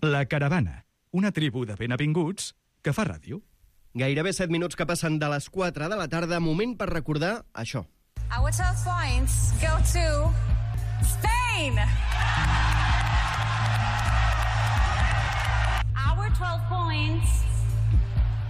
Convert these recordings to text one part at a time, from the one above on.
La Caravana, una tribu de benavinguts que fa ràdio. Gairebé 7 minuts que passen de les 4 de la tarda, moment per recordar això. Our 12 points go to Spain! Our 12 points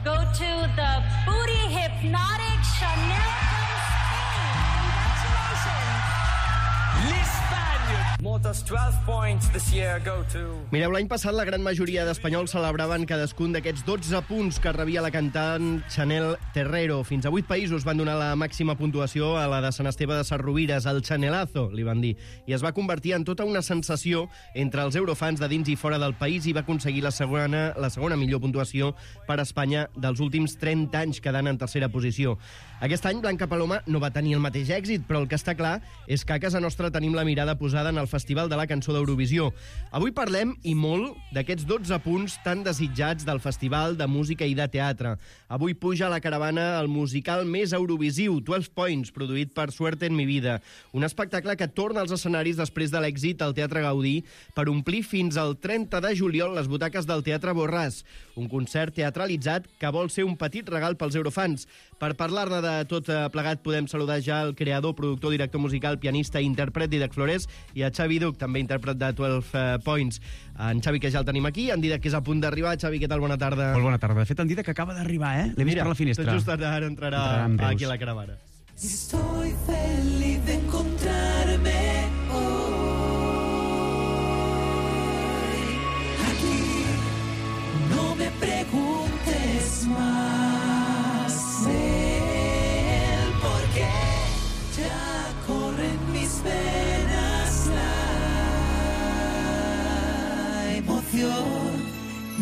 go to the booty hypnotic Chanel from Spain. Congratulations! L'Espagne! Moltes 12 points this year go to... Mireu, l'any passat la gran majoria d'espanyols celebraven cadascun d'aquests 12 punts que rebia la cantant Chanel Terrero. Fins a 8 països van donar la màxima puntuació a la de Sant Esteve de Sesrovires, el Chanelazo, li van dir. I es va convertir en tota una sensació entre els eurofans de dins i fora del país i va aconseguir la segona millor puntuació per a Espanya dels últims 30 anys, quedant en tercera posició. Aquest any Blanca Paloma no va tenir el mateix èxit, però el que està clar és que a casa nostra tenim la mirada posada en el Festival de la Cançó d'Eurovisió. Avui parlem, i molt, d'aquests 12 punts tan desitjats del Festival de Música i de Teatre. Avui puja a la caravana el musical més eurovisiu, 12 Points, produït per Suerte en mi vida. Un espectacle que torna als escenaris després de l'èxit al Teatre Gaudí per omplir fins al 30 de juliol les butaques del Teatre Borràs. Un concert teatralitzat que vol ser un petit regal pels eurofans. Per parlar-ne de tot plegat podem saludar ja el creador, productor, director musical, pianista i intèrpret Dídac Flores i a Xavi Duch, també intèrpret de 12 Points. En Xavi, que ja el tenim aquí, en Dídac, que és a punt d'arribar. Xavi, què tal? Bona tarda. Molt bona tarda. De fet, en Dídac acaba d'arribar, L'he vist per la finestra. Tot just ara entrarà aquí a la caravana. Estoy feliz de encontrarme hoy aquí. No me preguntes más el por qué. Ya corren mis venas la emoción.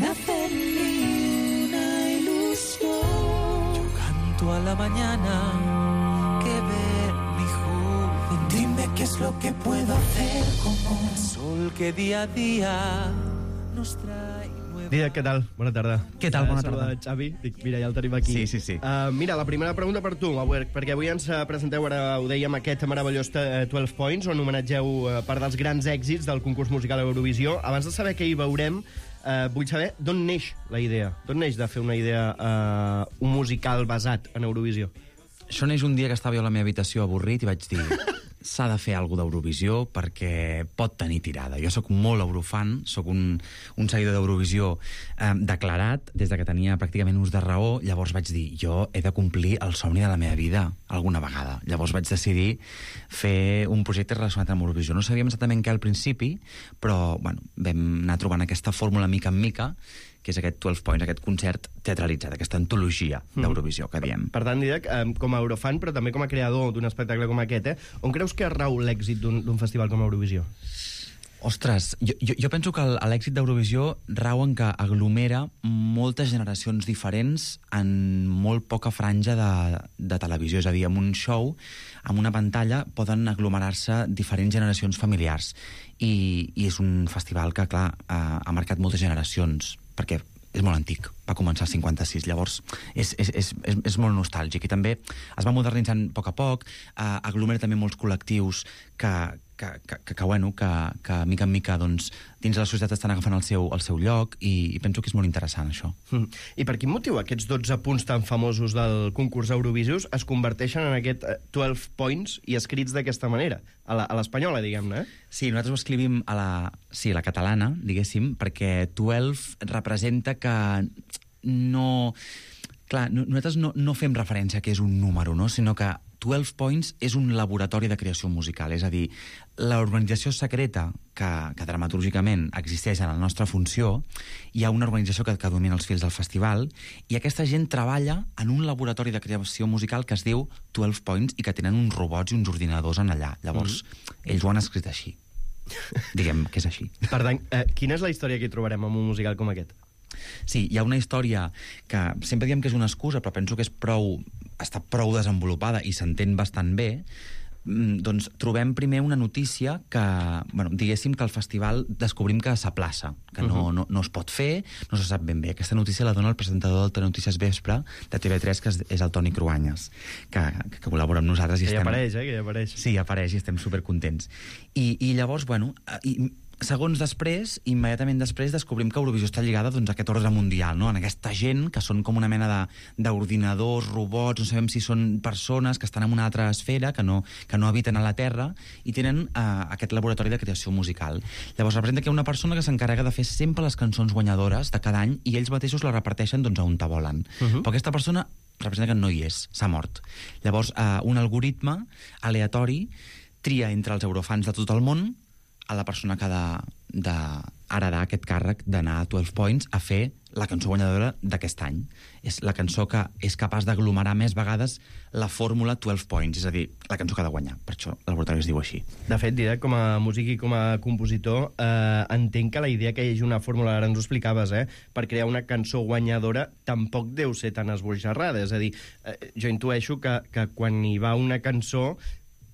Nace en mí una ilusión. Yo canto a la mañana que ve mi juventud. Dime qué es lo que puedo hacer como el sol que día a día nos trae. Dídac, què tal? Bona tarda. Què tal? Bona tarda. Xavi, mira, ja el tenim aquí. Sí. Mira, la primera pregunta per tu, perquè avui ens presenteu, ara ho dèiem, aquest meravellós 12 Points, on homenatgeu part dels grans èxits del concurs musical Eurovisió. Abans de saber què hi veurem, vull saber d'on neix la idea. D'on neix de fer una idea, un musical basat en Eurovisió? Això neix un dia que estava jo a la meva habitació avorrit i vaig dir s'ha de fer alguna cosa d'Eurovisió perquè pot tenir tirada. Jo sóc molt eurofan, sóc un seguidor d'Eurovisió declarat des de que tenia pràcticament ús de raó. Llavors vaig dir, jo he de complir el somni de la meva vida alguna vegada. Llavors vaig decidir fer un projecte relacionat amb Eurovisió. No sabíem exactament què al principi, però bueno, vam anar trobant aquesta fórmula mica en mica, que és aquest 12 Points, aquest concert teatralitzat, aquesta antologia d'Eurovisió que diem. Per tant, Dídac, com a eurofan, però també com a creador d'un espectacle com aquest, on creus que rau l'èxit d'un festival com Eurovisió? Ostres, jo penso que l'èxit d'Eurovisió rau en que aglomera moltes generacions diferents en molt poca franja de televisió. És a dir, en un show, en una pantalla, poden aglomerar-se diferents generacions familiars. I és un festival que, clar, ha marcat moltes generacions, perquè és molt antic, va començar al 56, llavors és molt nostàlgic, i també es va modernitzant a poc, aglomera també molts col·lectius que mica en mica doncs, dins de la societat estan agafant el seu lloc, i penso que és molt interessant això. I per quin motiu aquests 12 punts tan famosos del concurs Eurovisius es converteixen en aquest 12 Points i escrits d'aquesta manera, a l'espanyola, diguem-ne, Sí, nosaltres ho escrivim a la catalana, diguéssim, perquè 12 representa que no... Clar, nosaltres no fem referència a que és un número, no? Sinó que 12 Points és un laboratori de creació musical. És a dir, l'organització secreta que dramatúrgicament existeix en la nostra funció, hi ha una organització que domina els fils del festival, i aquesta gent treballa en un laboratori de creació musical que es diu 12 Points i que tenen uns robots i uns ordinadors en allà. Llavors, ells ho han escrit així. Diguem que és així. Per tant, quina és la història que hi trobarem en un musical com aquest? Sí, hi ha una història que sempre diem que és una excusa, però penso que està prou desenvolupada i s'entén bastant bé. Doncs trobem primer una notícia que, diguéssim que al festival descobrim que s'aplaça, que no es pot fer, no se sap ben bé. Aquesta notícia la dona el presentador del Telenotícies Vespre de TV3, que és el Toni Cruanyes, que col·labora amb nosaltres. Que hi apareix, que hi apareix. Sí, apareix i estem supercontents. I llavors, segons després, immediatament després, descobrim que Eurovisió està lligada doncs, a aquest ordre mundial, no? En aquesta gent que són com una mena d'ordinadors, robots, no sabem si són persones que estan en una altra esfera, que no habiten a la Terra, i tenen aquest laboratori de creació musical. Llavors representa que hi ha una persona que s'encarrega de fer sempre les cançons guanyadores de cada any i ells mateixos la reparteixen doncs, a on te volen. Però aquesta persona representa que no hi és, s'ha mort. Llavors, un algoritme aleatori tria entre els eurofans de tot el món a la persona que ha d'heredar aquest càrrec d'anar a 12 Points a fer la cançó guanyadora d'aquest any. És la cançó que és capaç d'aglomerar més vegades la fórmula 12 Points, és a dir, la cançó que ha de guanyar. Per això el laboratori es diu així. De fet, Didac, com a músic i com a compositor, entenc que la idea que hi hagi una fórmula, ara ens ho explicaves, per crear una cançó guanyadora tampoc deu ser tan esbojarrada. És a dir, jo intueixo que quan hi va una cançó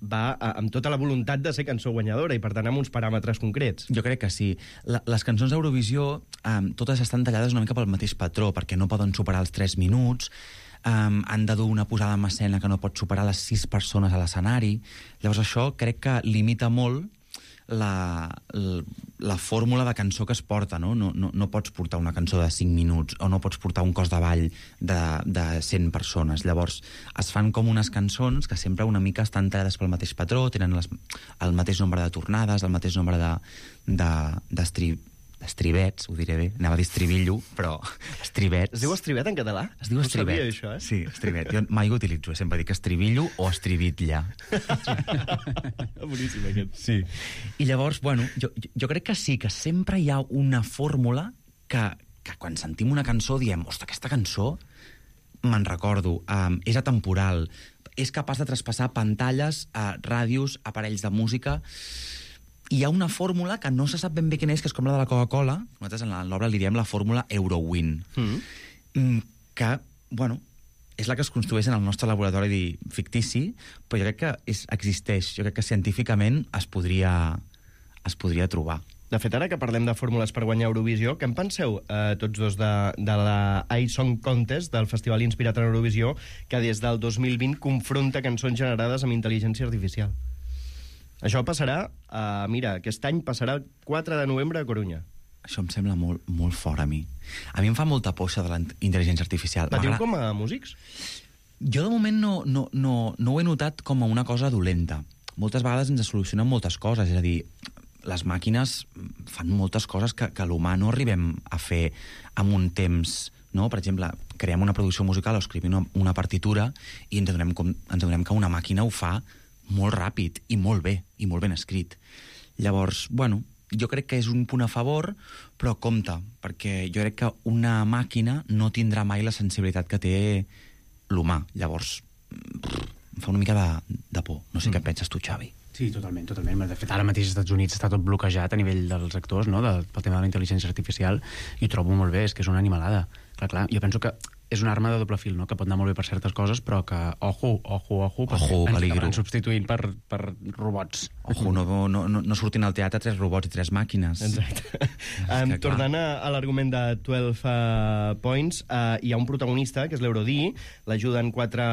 va amb tota la voluntat de ser cançó guanyadora i, per tant, amb uns paràmetres concrets. Jo crec que sí. Les cançons d'Eurovisió totes estan tallades una mica pel mateix patró, perquè no poden superar els 3 minuts, han de dur una posada en escena que no pot superar les 6 persones a l'escenari. Llavors això crec que limita molt la fórmula de cançó que es porta, no? No pots portar una cançó de 5 minuts o no pots portar un cos de ball de 100 persones. Llavors es fan com unes cançons que sempre una mica estan tallades pel mateix patró, tenen el mateix nombre de tornades, el mateix nombre d'estribets, ho diré bé, anava a dir estribillo, però estribets. Es diu estribet en català? Es diu estribet. No sabia això, Sí, estribet. Jo mai ho utilitzo, sempre dic estribillo o estribitlla. Boníssim, aquest. Sí. I llavors, bueno, jo crec que sí, que sempre hi ha una fórmula que quan sentim una cançó diem, ostres, aquesta cançó me'n recordo, és atemporal, és capaç de traspassar pantalles, ràdios, aparells de música. Hi ha una fórmula que no se sap ben bé quina és, que és com la de la Coca-Cola. Nosaltres en l'obra li diem la fórmula Eurowin. Que, bueno, és la que es construeix en el nostre laboratori fictici, però jo crec que existeix. Jo crec que científicament es podria trobar. De fet, ara que parlem de fórmules per guanyar Eurovisió, què en penseu tots dos de la iSong Contest, del festival inspirat en Eurovisió, que des del 2020 confronta cançons generades amb intel·ligència artificial? Això passarà, mira, aquest any passarà el 4 de novembre a Corunya. Això em sembla molt, molt fort a mi. A mi em fa molta por això de la intel·ligència artificial. Patiu com a músics? Jo de moment no ho he notat com a una cosa dolenta. Moltes vegades ens solucionen moltes coses, és a dir, les màquines fan moltes coses que l'humà no arribem a fer en un temps, no? Per exemple, creem una producció musical o escrivim una partitura i ens adonem que una màquina ho fa molt ràpid i molt bé, i molt ben escrit. Llavors, bueno, jo crec que és un punt a favor, però compte, perquè jo crec que una màquina no tindrà mai la sensibilitat que té l'humà. Llavors, em fa una mica de por. No sé què penses tu, Xavi. Sí, totalment. De fet, ara mateix als Estats Units està tot bloquejat a nivell dels actors, no? Pel tema de la intel·ligència artificial, i ho trobo molt bé, és que és una animalada. Clar, jo penso que és una arma de doble fil, no? Que pot anar molt bé per certes coses, però que, ojo, ens acabaran substituint per robots. Ojo, no surtin al teatre 3 robots i 3 màquines. Exacte. Tornant a l'argument de 12 Points, hi ha un protagonista, que és l'Eurodí, l'ajuden 4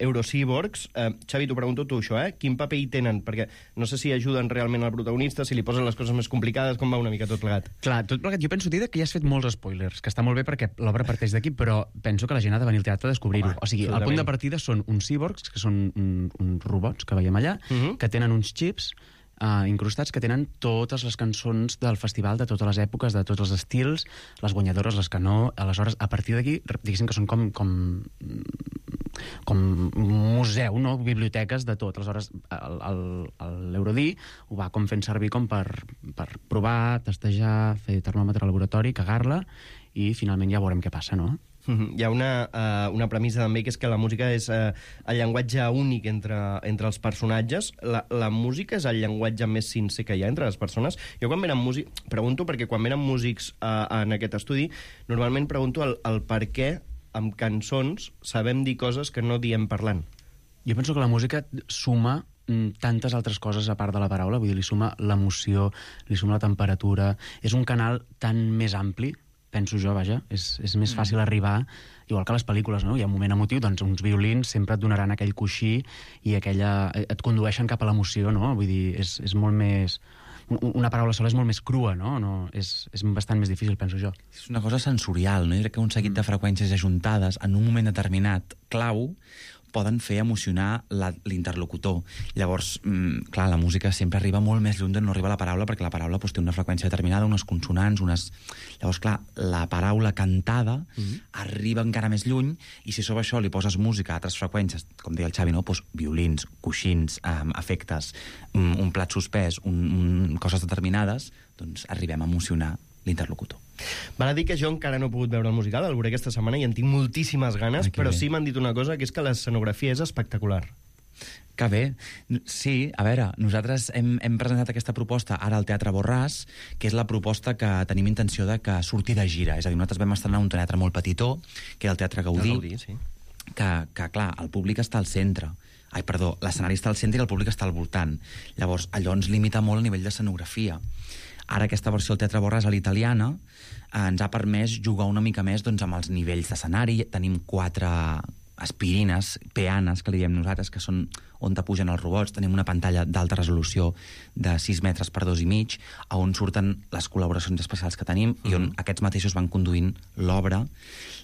Eurocíborgs. Xavi, t'ho pregunto tu, això, Quin paper hi tenen? Perquè no sé si ajuden realment al protagonista, si li posen les coses més complicades, com va una mica tot plegat. Clar, tot plegat, jo penso, Didac, que ja has fet molts spoilers, que està molt bé perquè l'obra parteix d'aquí, però penso que la gent ha de venir al teatre a descobrir-ho. O sigui, el punt de partida són uns cíborgs, que són uns robots que veiem allà, que tenen uns xips incrustats que tenen totes les cançons del festival de totes les èpoques, de tots els estils, les guanyadores, les que no. Aleshores, a partir d'aquí, diguéssim que són com museu, no? Biblioteques de tot. Aleshores, l'Eurodí ho va com fent servir com per provar, testejar, fer termòmetre al laboratori, cagar-la, i finalment ja veurem què passa, no? Hi ha una premissa també, que és que la música és el llenguatge únic entre els personatges. La música és el llenguatge més sincer que hi ha entre les persones. Jo quan venen músics, pregunto perquè quan venen músics en aquest estudi, normalment pregunto el per què amb cançons sabem dir coses que no diem parlant. Jo penso que la música suma tantes altres coses a part de la paraula, vull dir, li suma l'emoció, li suma la temperatura, és un canal tan més ampli, penso jo, vaja, és més fàcil arribar, igual que les pel·lícules, no? Hi ha un moment emotiu, doncs uns violins sempre et donaran aquell coixí i et condueixen cap a l'emoció, no? Vull dir, és molt més una paraula sola és molt més crua, no? És bastant més difícil, penso jo. És una cosa sensorial, no? Jo crec que un seguit de freqüències ajuntades en un moment determinat clau poden fer emocionar l'interlocutor. Llavors, clar, la música sempre arriba molt més lluny d'on no arriba la paraula, perquè la paraula té una freqüència determinada, unes consonants, Llavors, clar, la paraula cantada arriba encara més lluny, i si sobre això li poses música a altres freqüències, com deia el Xavi, no? Violins, coixins, efectes, un plat suspès, coses determinades, doncs arribem a emocionar l'interlocutor. Val a dir que jo encara no he pogut veure el musical, el veuré aquesta setmana i en tinc moltíssimes ganes, però sí m'han dit una cosa, que és que l'escenografia és espectacular. Que bé. Sí, a veure, nosaltres hem presentat aquesta proposta ara al Teatre Borràs, que és la proposta que tenim intenció de que surti de gira. És a dir, nosaltres vam estrenar un teatre molt petitó, que era el Teatre Gaudí, sí. que clar, el públic està al centre. L'escenari està al centre i el públic està al voltant. Llavors, allò ens limita molt a nivell d'escenografia. Ara aquesta versió del Teatre Borràs a l'italiana ens ha permès jugar una mica més doncs, amb els nivells d'escenari. Tenim 4 aspirines, peanes, que li diem nosaltres, que són on te pugen els robots. Tenim una pantalla d'alta resolució de 6 metres per 2,5, on surten les col·laboracions especials que tenim i on aquests mateixos van conduint l'obra.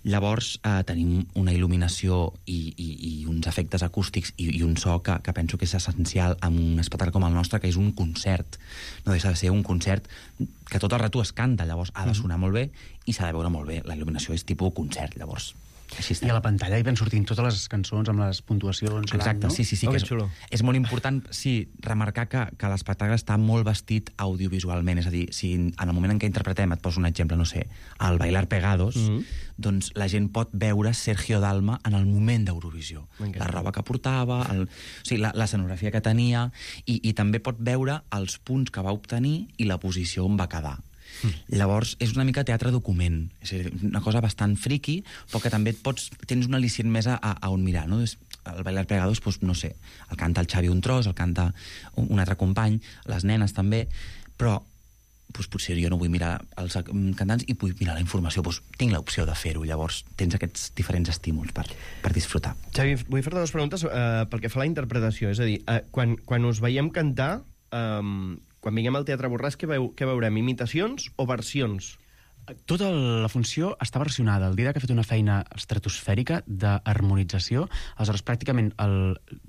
Llavors tenim una il·luminació i uns efectes acústics i un so que penso que és essencial en un espectacle com el nostre, que és un concert. No deixa de ser un concert que tot el rato es canta, llavors ha de sonar molt bé i s'ha de veure molt bé. La il·luminació és tipus concert, llavors. I a la pantalla hi van sortint totes les cançons amb les puntuacions. Exacte, no? sí, que és molt important, sí, remarcar que l'espectacle està molt vestit audiovisualment, és a dir, si en el moment en què interpretem, et poso un exemple, no sé, el Bailar Pegados, doncs la gent pot veure Sergio Dalma en el moment d'Eurovisió. La roba que portava, l'escenografia que tenia, i també pot veure els punts que va obtenir i la posició on va quedar. Llavors, és una mica teatre document. És una cosa bastant friqui, però que també tens un al·licient més a on mirar, no? El Bailar Pegados, doncs, no sé, el canta el Xavi un tros, el canta un altre company, les nenes també, però potser jo no vull mirar els cantants i vull mirar la informació, tinc l'opció de fer-ho, llavors tens aquests diferents estímuls per disfrutar. Xavi, vull fer-te 2 preguntes pel que fa a la interpretació, és a dir, quan us veiem cantar, quan vinguem al Teatre Borràs, què veurem? Imitacions o versions? Tota la funció està versionada. El Didac ha fet una feina estratosfèrica d'harmonització. Aleshores, pràcticament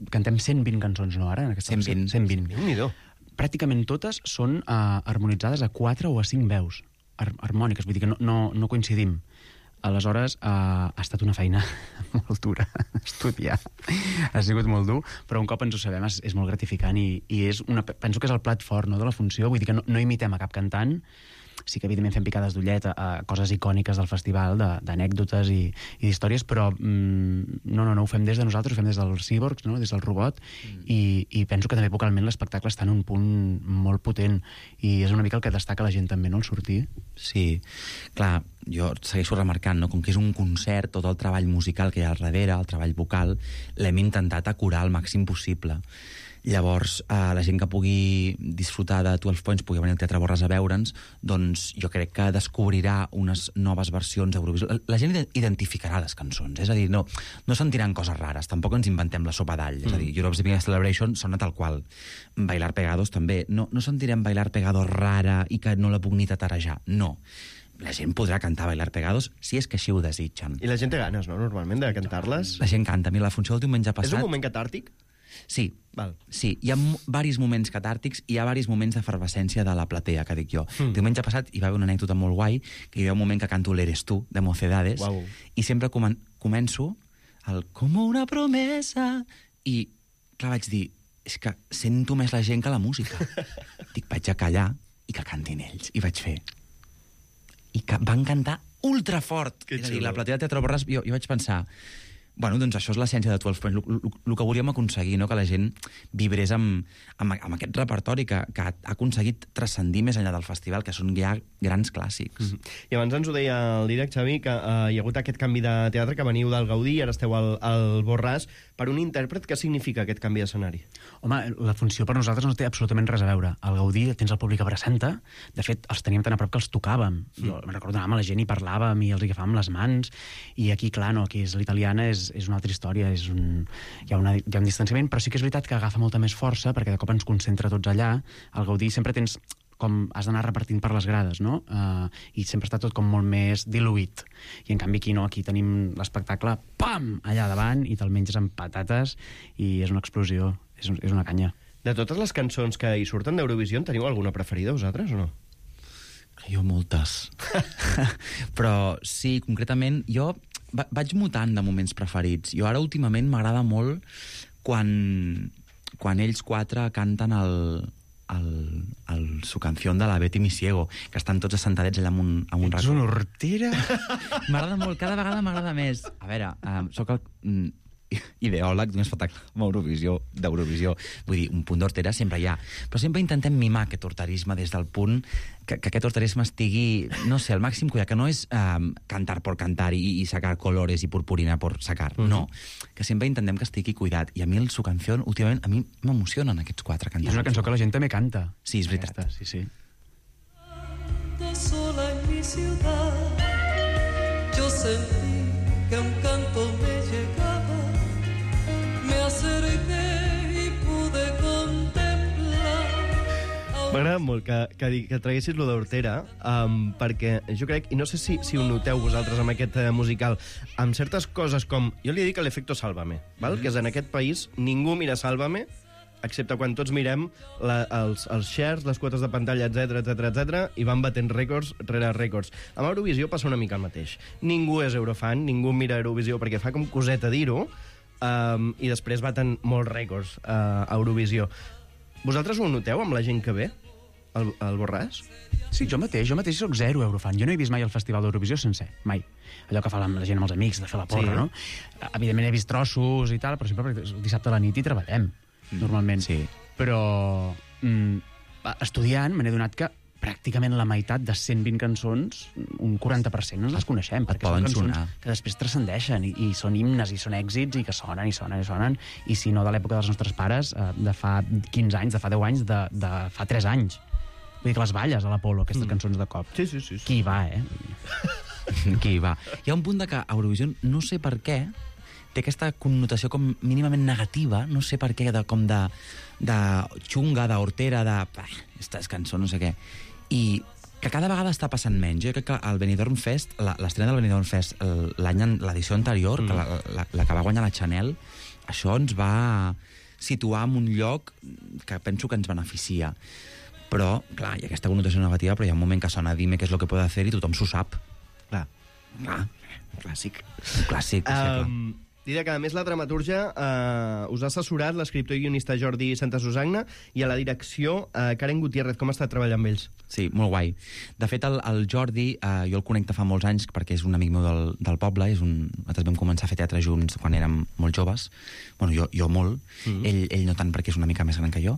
cantem 120 cançons, no, ara? 120. Déu-n'hi-do. Pràcticament totes són harmonitzades a 4 o a 5 veus harmòniques, vull dir que no coincidim. Aleshores, ha estat una feina molt dura, estudiar. Ha sigut molt dur, però un cop ens ho sabem és molt gratificant i penso que és el plat fort, no, de la funció. Vull dir que no imitem a cap cantant. Sí que, evidentment, fem picades d'ullet a coses icòniques del festival, d'anècdotes i d'històries, però no, ho fem des de nosaltres, ho fem des dels cíborgs, no? Des del robot, i penso que també vocalment l'espectacle està en un punt molt potent, i és una mica el que destaca la gent també, no?, el sortir. Sí, clar, jo segueixo remarcant, no?, com que és un concert, tot el treball musical que hi ha al darrere, el treball vocal, l'hem intentat acurar al màxim possible. Llavors, la gent que pugui disfrutar de 12 Points, pugui venir al Teatre Borràs a veure'ns, doncs jo crec que descobrirà unes noves versions d'Eurovisió. La gent identificarà les cançons, és a dir, no sentiran coses rares, tampoc ens inventem la sopa d'all, és a dir, Europe's Biggest Celebration sona tal qual. Bailar Pegados també. No sentirem Bailar Pegados rara i que no la puc ni tatarejar, no. La gent podrà cantar Bailar Pegados si és que així ho desitgen. I la gent té ganes, no?, normalment, de cantar-les? La gent canta. Mira, la funció del diumenge passat... És un moment catàrtic? Sí, sí, hi ha diversos moments catàrtics i hi ha diversos moments d'efervescència de la platea, que dic jo. Diumenge passat hi va haver una anècdota molt guai, que hi ha un moment que canto l'Eres tu, de Mocedades, i sempre començo el como una promesa, i clar, vaig dir, és que sento més la gent que la música. Dic, vaig a callar i que cantin ells. I vaig fer. I que van cantar ultrafort. És a dir, la platea del Teatre Borràs, jo vaig pensar... Bueno, doncs això és l'essència de 12 Points, el que volíem aconseguir, no? Que la gent vibrés amb aquest repertori que ha aconseguit transcendir més enllà del festival, que són ja grans clàssics. I abans ens ho deia el Didac, Xavi, que hi ha hagut aquest canvi de teatre, que veniu del Gaudí i ara esteu al Borràs. Per un intèrpret, què significa aquest canvi d'escenari? Home, la funció per nosaltres no té absolutament res a veure. Al Gaudí tens el públic abraçant-te, de fet, els teníem tan a prop que els tocàvem. Jo me'n recordo, anàvem a la gent i parlàvem i els agafàvem les mans, i aquí, clar, no, aquí és l'italiana, és una altra història, hi ha un distanciament, però sí que és veritat que agafa molta més força, perquè de cop ens concentra tots allà. Al Gaudí sempre tens com has d'anar repartint per les grades, no? I sempre està tot com molt més diluït. I en canvi aquí no, aquí tenim l'espectacle, pam, allà davant, i te'l menges amb patates, i és una explosió, és una canya. De totes les cançons que hi surten d'Eurovisió, en teniu alguna preferida, vosaltres, o no? Jo moltes. Però sí, concretament, jo vaig mutant de moments preferits. Jo ara últimament m'agrada molt quan ells quatre canten su canción de la Betty Misiego, que estan tots assentadets allà amb un racó. Ets una hortera? M'agrada molt, cada vegada m'agrada més. A veure, sóc ideòleg d'un espectacle d'Eurovisió. Vull dir, un punt d'hortera sempre hi ha. Però sempre intentem mimar aquest horterisme des del punt que aquest horterisme estigui, no sé, al màxim cuidat, que no és cantar por cantar i sacar colores i purpurina por sacar, no. Que sempre intentem que estigui cuidat. I a mi su canción, últimament, a mi m'emocionen aquests quatre cantants. I és una cançó que la gent també canta. Sí, és veritat. Aquesta, sí. Sola en mi ciudad, yo sentí que un canto me llegaba, me acerqué y pude contemplar. M'agrada molt que traguessis lo d'hortera, perquè jo crec, i no sé si ho noteu vosaltres amb aquest musical, amb certes coses com, jo li dic l'efecto Sálvame, val? Que és en aquest país ningú mira Sálvame, excepte quan tots mirem els shares, les quotes de pantalla, etc, i van batent rècords rere rècords. Amb Eurovisió passa una mica el mateix. Ningú és eurofan, ningú mira Eurovisió perquè fa com coseta dir-ho, i després baten molts rècords a Eurovisió. Vosaltres ho noteu amb la gent que ve al Borràs? Sí, jo mateix soc zero eurofan. Jo no he vist mai el Festival d'Eurovisió sencer, mai. Allò que fa la gent amb els amics, de fer la porra, no? Evidentment he vist trossos i tal, però sempre el dissabte a la nit hi treballem, normalment. Sí. Però estudiant m'he donat que pràcticament la meitat de 120 cançons, un 40% no les coneixem, perquè són cançons que després transcendeixen i són himnes i són èxits i que sonen, i si no de l'època dels nostres pares, de fa 15 anys, de fa 10 anys, de fa 3 anys. Vull dir que les balles a l'Apolo, aquestes cançons de cop. Sí. Qui hi va, Qui hi va. Hi ha un punt de que Eurovisió, no sé per què, té aquesta connotació com mínimament negativa, no sé per què, de xunga, d'hortera, aquestes cançons, no sé què. I que cada vegada està passant menys. Jo crec que el Benidorm Fest, l'estrena del Benidorm Fest, l'edició anterior, la que va guanyar la Chanel, això ens va situar en un lloc que penso que ens beneficia. Però, clar, hi ha aquesta connotació negativa, però hi ha un moment que sona Dime què és lo que puede hacer i tothom s'ho sap. Clar. Clàssic. Clàssic, clar. Diria que, a més, la dramatúrgia us ha assessorat l'escriptor i guionista Jordi Santasusagna i a la direcció Karen Gutiérrez. Com ha estat treballar amb ells? Sí, molt guai. De fet, el Jordi, jo el conec fa molts anys perquè és un amic meu del poble. Nosaltres vam començar a fer teatre junts quan érem molt joves. Bueno, jo molt. Ell no tant perquè és una mica més gran que jo.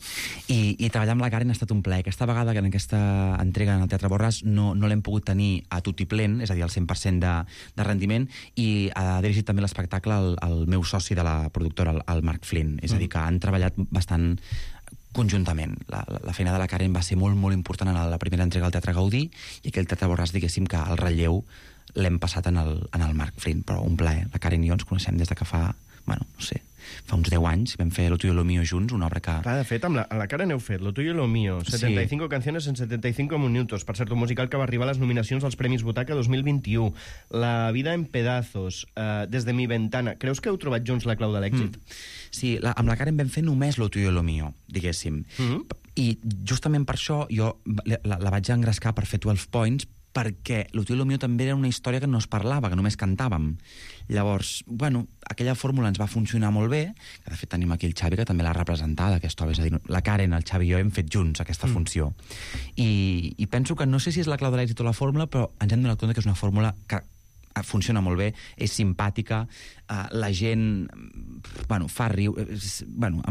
I treballar amb la Karen ha estat un plaer. Aquesta vegada, que en aquesta entrega en el Teatre Borràs, no l'hem pogut tenir a tutiplén, és a dir, al 100% de rendiment, i ha dirigit també l'espectacle el meu soci de la productora, el Marc Flynn. És a dir, que han treballat bastant conjuntament. La feina de la Karen va ser molt, molt important en la primera entrega del Teatre Gaudí, i aquell Teatre Borràs, diguéssim, que el relleu l'hem passat en el Marc Flynn, però un plaer. La Karen i jo ens coneixem des de que fa, bueno, no sé, fa uns 10 anys, vam fer Lo tuyo y lo mío junts, una obra que... Clar, de fet, amb la Karen heu fet Lo tuyo y lo mío, 75 canciones en 75 minutos, per cert, un musical que va arribar a les nominacions als Premis Butaca 2021, La vida en pedazos, Desde mi ventana. Creus que heu trobat junts la clau de l'èxit? Sí, amb la Karen vam fer només Lo tuyo y lo mío, diguéssim. I justament per això jo la vaig engrescar per fer 12 Points, perquè Lo tuyo y lo mío també era una història que no es parlava, que només cantàvem. Llavors, bueno, aquella fórmula ens va funcionar molt bé, que de fet tenim aquí el Xavi, que també l'ha representada, aquesta obra. És a dir, la Karen, el Xavi i jo hem fet junts aquesta funció. I penso que no sé si és la clau de l'èxit o la fórmula, però ens hem donat compte que és una fórmula que funciona molt bé, és simpàtica, la gent, bueno, fa riure... Bueno,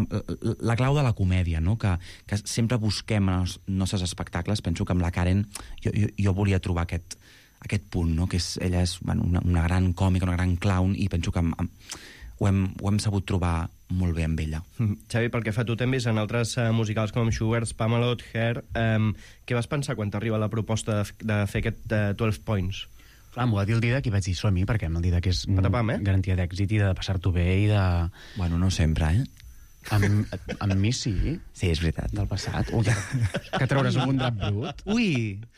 la clau de la comèdia, no?, que sempre busquem en els nostres espectacles. Penso que amb la Karen jo volia trobar aquest punt, no?, que ella és, bueno, una gran còmica, una gran clown, i penso que ho hem sabut trobar molt bé amb ella. Xavi, pel que fa, tu també en altres musicals com Sugar's, Spamalot, Hair, què vas pensar quan t'arriba la proposta de fer aquest 12 Points? Clar, m'ho va dir el Didac i vaig dir som-hi, perquè el Didac és Patapam, garantia d'èxit i de passar-t'ho bé i de... Bueno, no sempre, Amb mi sí. Sí, és veritat. Del passat. Ui, que trauràs algun drap brut? Ui!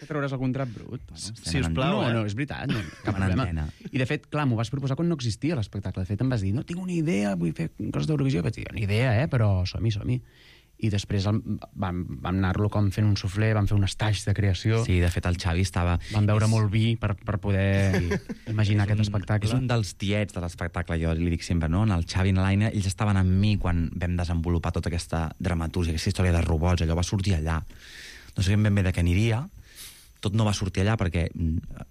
Que trauràs algun drap brut? Sisplau, No, és veritat, no, cap Una problema. antena. I, de fet, clar, m'ho vas proposar quan no existia l'espectacle. De fet, em vas dir, no tinc una idea, vull fer coses d'Eurovisió. Vaig dir, una idea, però som-hi. I després vam anar-lo com fent un suflé, vam fer un estatge de creació. Sí, de fet, el Xavi estava... Vam beure molt vi per poder imaginar aquest espectacle. És un dels tiets de l'espectacle, jo li dic sempre, no? En el Xavi i en l'Aina, ells estaven amb mi quan vam desenvolupar tota aquesta dramatúrgia, aquesta història de robots, allò va sortir allà. No sabíem ben bé de què aniria, tot no va sortir allà perquè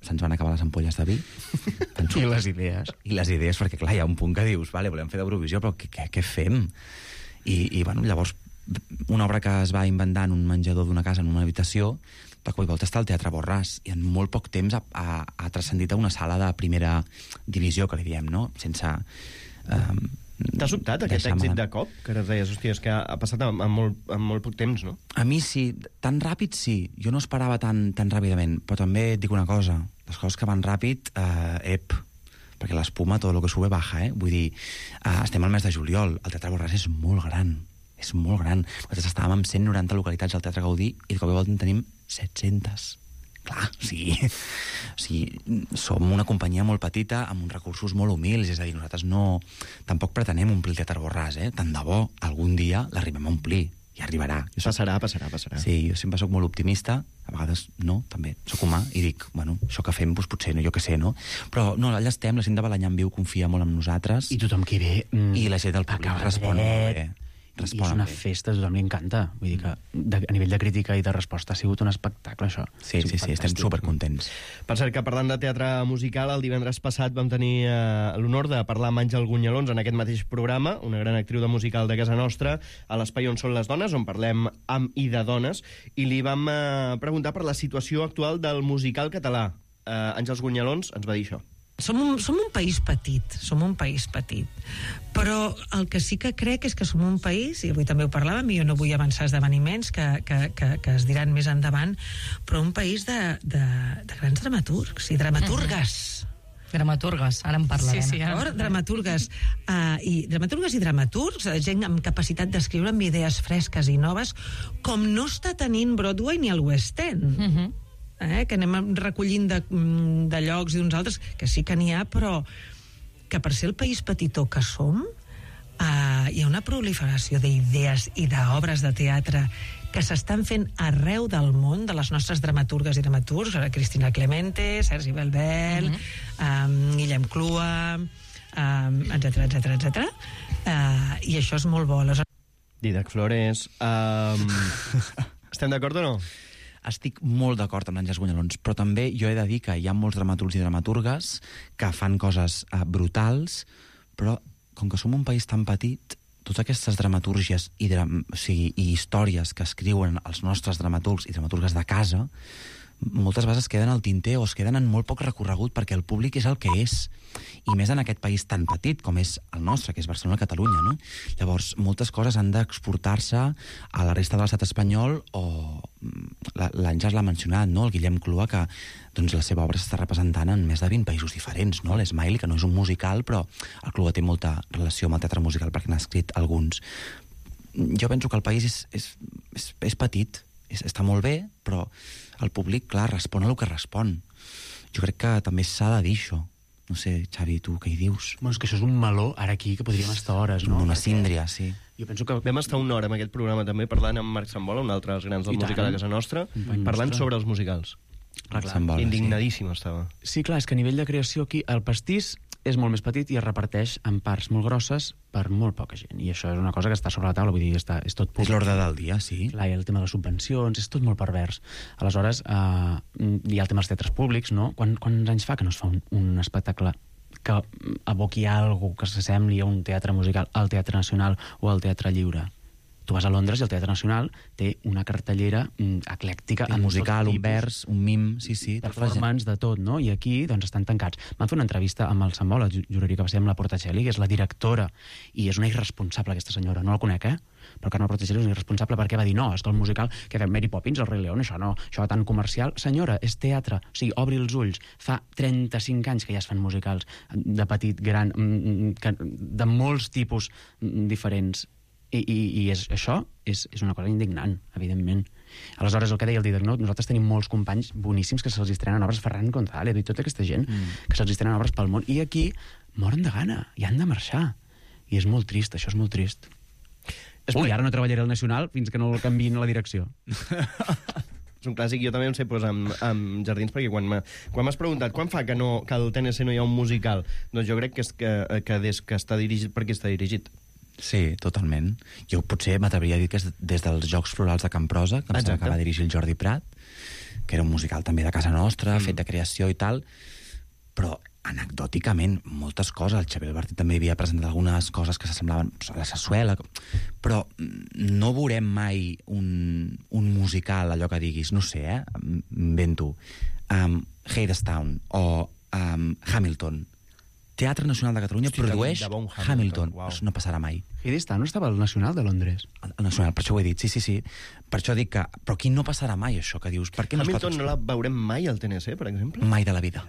se'ns van acabar les ampolles de vi. I les idees. I les idees, perquè clar, hi ha un punt que dius, vale, volem fer d'Eurovisió, però què fem? I bueno, llavors, una obra que es va inventar en un menjador d'una casa, en una habitació, de cop i volta està al Teatre Borràs, i en molt poc temps ha transcendit a una sala de primera divisió, que li diem, no? Sense... T'ha sobtat aquest èxit de cop? Que ara deies, hòstia, és que ha passat en molt poc temps, no? A mi sí, tan ràpid sí. Jo no esperava tan ràpidament, però també et dic una cosa, les coses que van ràpid, perquè l'espuma, tot el que sube baja, Vull dir, estem al mes de juliol, el Teatre Borràs és molt gran. És molt gran. Nosaltres estàvem amb 190 localitats al Teatre Gaudí i de cop i volta en tenim 700. Clar, o sigui, som una companyia molt petita amb uns recursos molt humils, és a dir, nosaltres tampoc pretenem omplir el Teatre Borràs, Tant de bo, algun dia l'arribem a omplir, i arribarà. Passarà. Sí, jo sempre sóc molt optimista, a vegades no, també, sóc humà, i dic, bueno, això que fem, doncs potser no, jo què sé, no? Però no, allà estem, la gent de Balanyà en Viu confia molt en nosaltres. I tothom que ve... I la gent del públic respon molt bé. I és una festa, a tothom li encanta. Vull dir que a nivell de crítica i de resposta ha sigut un espectacle, això. Sí, estem supercontents. Per cert, que parlant de teatre musical, el divendres passat vam tenir l'honor de parlar amb Àngel Gunyalons en aquest mateix programa, una gran actriu de musical de casa nostra, a l'Espai on són les dones, on parlem amb i de dones, i li vam preguntar per la situació actual del musical català. Àngels Gunyalons ens va dir això. Som un país petit, però el que sí que crec és que som un país, i avui també ho parlàvem, i jo no vull avançar esdeveniments que es diran més endavant, però un país de grans dramaturgs i dramaturgues. Dramaturgues, ara en parlarem. Sí, dramaturgues i dramaturgs, gent amb capacitat d'escriure amb idees fresques i noves, com no està tenint Broadway ni el West End. Que anem recollint de llocs i d'uns altres, que sí que n'hi ha, però que per ser el país petitó que som, hi ha una proliferació d'idees i d'obres de teatre que s'estan fent arreu del món, de les nostres dramaturgues i dramaturgs, Cristina Clemente, Sergi Belbel, Guillem Clua, etc. I això és molt bo. Didac Flores... Estem d'acord o no? Estic molt d'acord amb l'Àngels Gunyalons, però també jo he de dir que hi ha molts dramaturgs i dramaturgues que fan coses brutals, però com que som un país tan petit, totes aquestes dramatúrgies i històries que escriuen els nostres dramaturgs i dramaturgues de casa, moltes vegades es queden al tinter o es queden en molt poc recorregut perquè el públic és el que és, i més en aquest país tan petit com és el nostre, que és Barcelona, Catalunya, no? Llavors, moltes coses han d'exportar-se a la resta de l'estat espanyol, o l'Àngels l'ha mencionat, no? El Guillem Clua, que doncs, la seva obra s'està representant en més de 20 països diferents, no? L'Smiley, que no és un musical, però el Clua té molta relació amb el teatre musical perquè n'ha escrit alguns. Jo penso que el país és petit, està molt bé, però el públic, clar, respon a el que respon. Jo crec que també s'ha de dir això. No sé, Xavi, tu què hi dius? Bueno, és que això és un meló, ara aquí, que podríem estar hores, no? Una síndria, sí. Jo penso que... Vam estar una hora en aquest programa també parlant amb Marc Sambola, un altre dels grans del musical de casa nostra, parlant sobre els musicals. Indignadíssim estava. Sí, clar, és que a nivell de creació aquí el pastís és molt més petit i es reparteix en parts molt grosses per molt poca gent. I això és una cosa que està sobre la taula, vull dir, és tot públic. És l'ordre del dia, sí. Clar, hi ha el tema de les subvencions, és tot molt pervers. Aleshores, hi ha el tema dels teatres públics, no? Quants anys fa que no es fa un espectacle que aboqui alguna que s'assembli a un teatre musical, al Teatre Nacional o al Teatre Lliure? Tu vas a Londres i el Teatre Nacional té una cartellera eclèctica, un musical, un vers, un mim, sí, performance de tot, no? I aquí doncs estan tancats. Van fer una entrevista amb el Sambola, juraria que va ser amb la Portacelli, que és la directora, i és una irresponsable aquesta senyora, no la conec, però Carme Portacelli és una irresponsable perquè va dir, no, és que el musical que fem Mary Poppins, el Rei León, això no, això tan comercial. Senyora, és teatre, o sigui, obri els ulls. Fa 35 anys que ja es fan musicals de petit, gran, de molts tipus diferents. I això és una cosa indignant, evidentment. Aleshores, el que deia el Didac, no? Nosaltres tenim molts companys boníssims que se'ls estrenen obres, Ferran González i tota aquesta gent, que se'ls estrenen obres pel món, i aquí moren de gana, i han de marxar. I és molt trist, això és molt trist. Ui, ara no treballaré al Nacional fins que no el canviïn a la direcció. És un clàssic, jo també em sé posar amb jardins, perquè quan m'has preguntat quan fa que al TNC no hi ha un musical, doncs jo crec que és que des que està dirigit, perquè està dirigit. Sí, totalment. Jo potser m'atreviria a dir que és des dels Jocs Florals de Camprosa, que em sembla que va dirigir el Jordi Prat, que era un musical també de casa nostra, fet de creació i tal, però anecdòticament, moltes coses. El Xavier Albertí també havia presentat algunes coses que s'assemblaven a la Sassuela, però no veurem mai un musical, allò que diguis, no sé, invento, Hadestown o Hamilton. Teatre Nacional de Catalunya produeix Hamilton. No passarà mai. Hadestown no estava al Nacional de Londres? Al Nacional, per això ho he dit, sí. Per això dic que... Però aquí no passarà mai, això que dius. Per què Hamilton no la veurem mai al TNC, per exemple? Mai de la vida.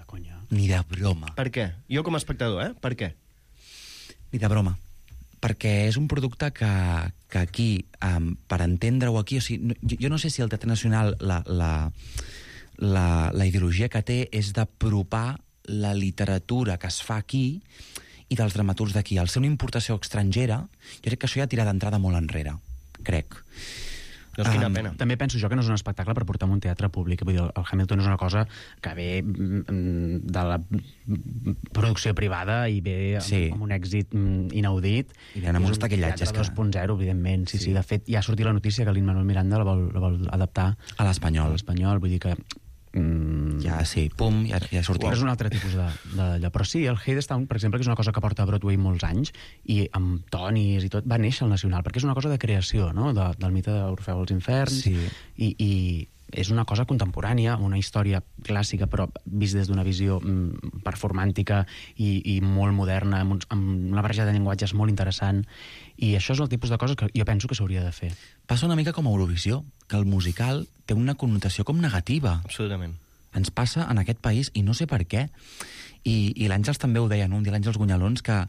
Ni de broma. Per què? Jo com a espectador, Per què? Ni de broma. Perquè és un producte que aquí, per entendre-ho aquí... O sigui, jo no sé si el Teatre Nacional la ideologia que té és d'apropar la literatura que es fa aquí i dels dramaturgs d'aquí. Al ser una importació estrangera, jo crec que això ja tira d'entrada molt enrere. Crec. Doncs quina pena. També penso jo que no és un espectacle per portar un teatre públic. Vull dir, el Hamilton és una cosa que ve de la producció privada i ve amb un èxit inaudit. I ve amb uns taquillatges. És un teatre 2.0, evidentment. Sí. De fet, ja ha sortit la notícia que Lin-Manuel Miranda la vol adaptar a l'espanyol. Vull dir que ja ha sortit. És un altre tipus d'allò. Però sí, el Hadestown, per exemple, que és una cosa que porta a Broadway molts anys, i amb tonis i tot, va néixer al Nacional, perquè és una cosa de creació, no?, del mite d'Orfeu als Inferns, i és una cosa contemporània, una història clàssica, però vist des d'una visió performàntica i molt moderna, amb una barreja de llenguatges molt interessant, i això és el tipus de coses que jo penso que s'hauria de fer. Passa una mica com a Eurovisió, que el musical té una connotació com negativa. Absolutament. Ens passa en aquest país, i no sé per què. I l'Àngels també ho deia, no? Un dia l'Àngels Gunyalons, que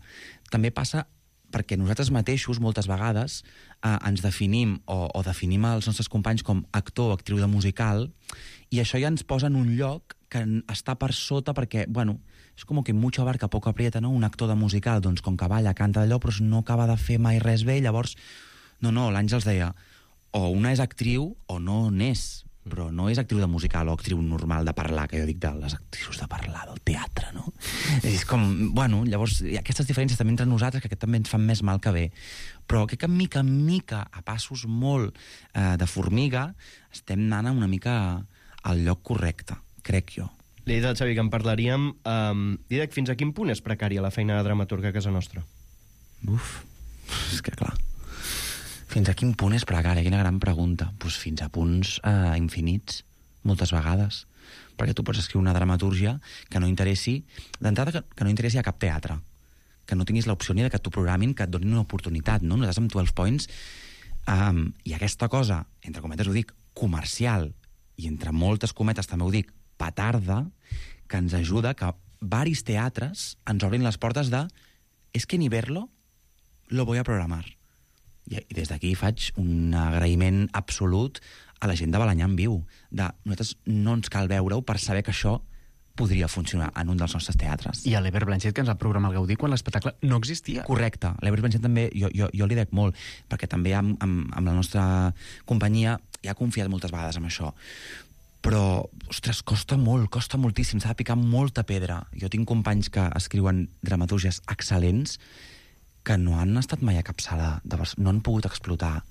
també passa perquè nosaltres mateixos, moltes vegades, ens definim o definim els nostres companys com actor o actriu de musical, i això ja ens posa en un lloc que està per sota perquè, bueno, és com que mucho abarca poco aprieta, no? Un actor de musical, doncs, com que balla, canta d'allò, però no acaba de fer mai res bé, llavors... No, l'Àngels deia, o una és actriu o no n'és, però no és actriu de musical o actriu normal de parlar, que jo dic de les actrius de parlar, del teatre, no? És com, bueno, llavors hi ha aquestes diferències també entre nosaltres que també ens fan més mal que bé. Però crec que mica en mica, a passos molt de formiga, estem anant una mica al lloc correcte, crec jo. Li he dit al Xavi que en parlaríem. Didac, fins a quin punt és precària la feina de dramaturga a casa nostra? És que clar... Fins a quin punt és precària? Quina gran pregunta. Doncs fins a punts infinits, moltes vegades. Perquè tu pots escriure una dramatúrgia que no interessi, d'entrada que no interessi a cap teatre, que no tinguis l'opció ni que t'ho programin, que et donin una oportunitat, no? Nosaltres amb 12 Points, i aquesta cosa, entre cometes ho dic, comercial, i entre moltes cometes també ho dic, petarda, que ens ajuda que varis teatres ens obrin les portes de «es que ni verlo lo voy a programar». I des d'aquí faig un agraïment absolut a la gent de Balanyà en Viu. Nosaltres no ens cal veure-ho per saber que això podria funcionar en un dels nostres teatres. I a l'Ever Blanchet, que ens va programar el Gaudí quan l'espectacle no existia. Correcte. L'Ever Blanchet també, jo li dec molt, perquè també amb la nostra companyia ja ha confiat moltes vegades en això. Però, ostres, costa moltíssim, s'ha de picar molta pedra. Jo tinc companys que escriuen dramatúrgies excel·lents que no han estat mai a cap sala, no han pogut explotar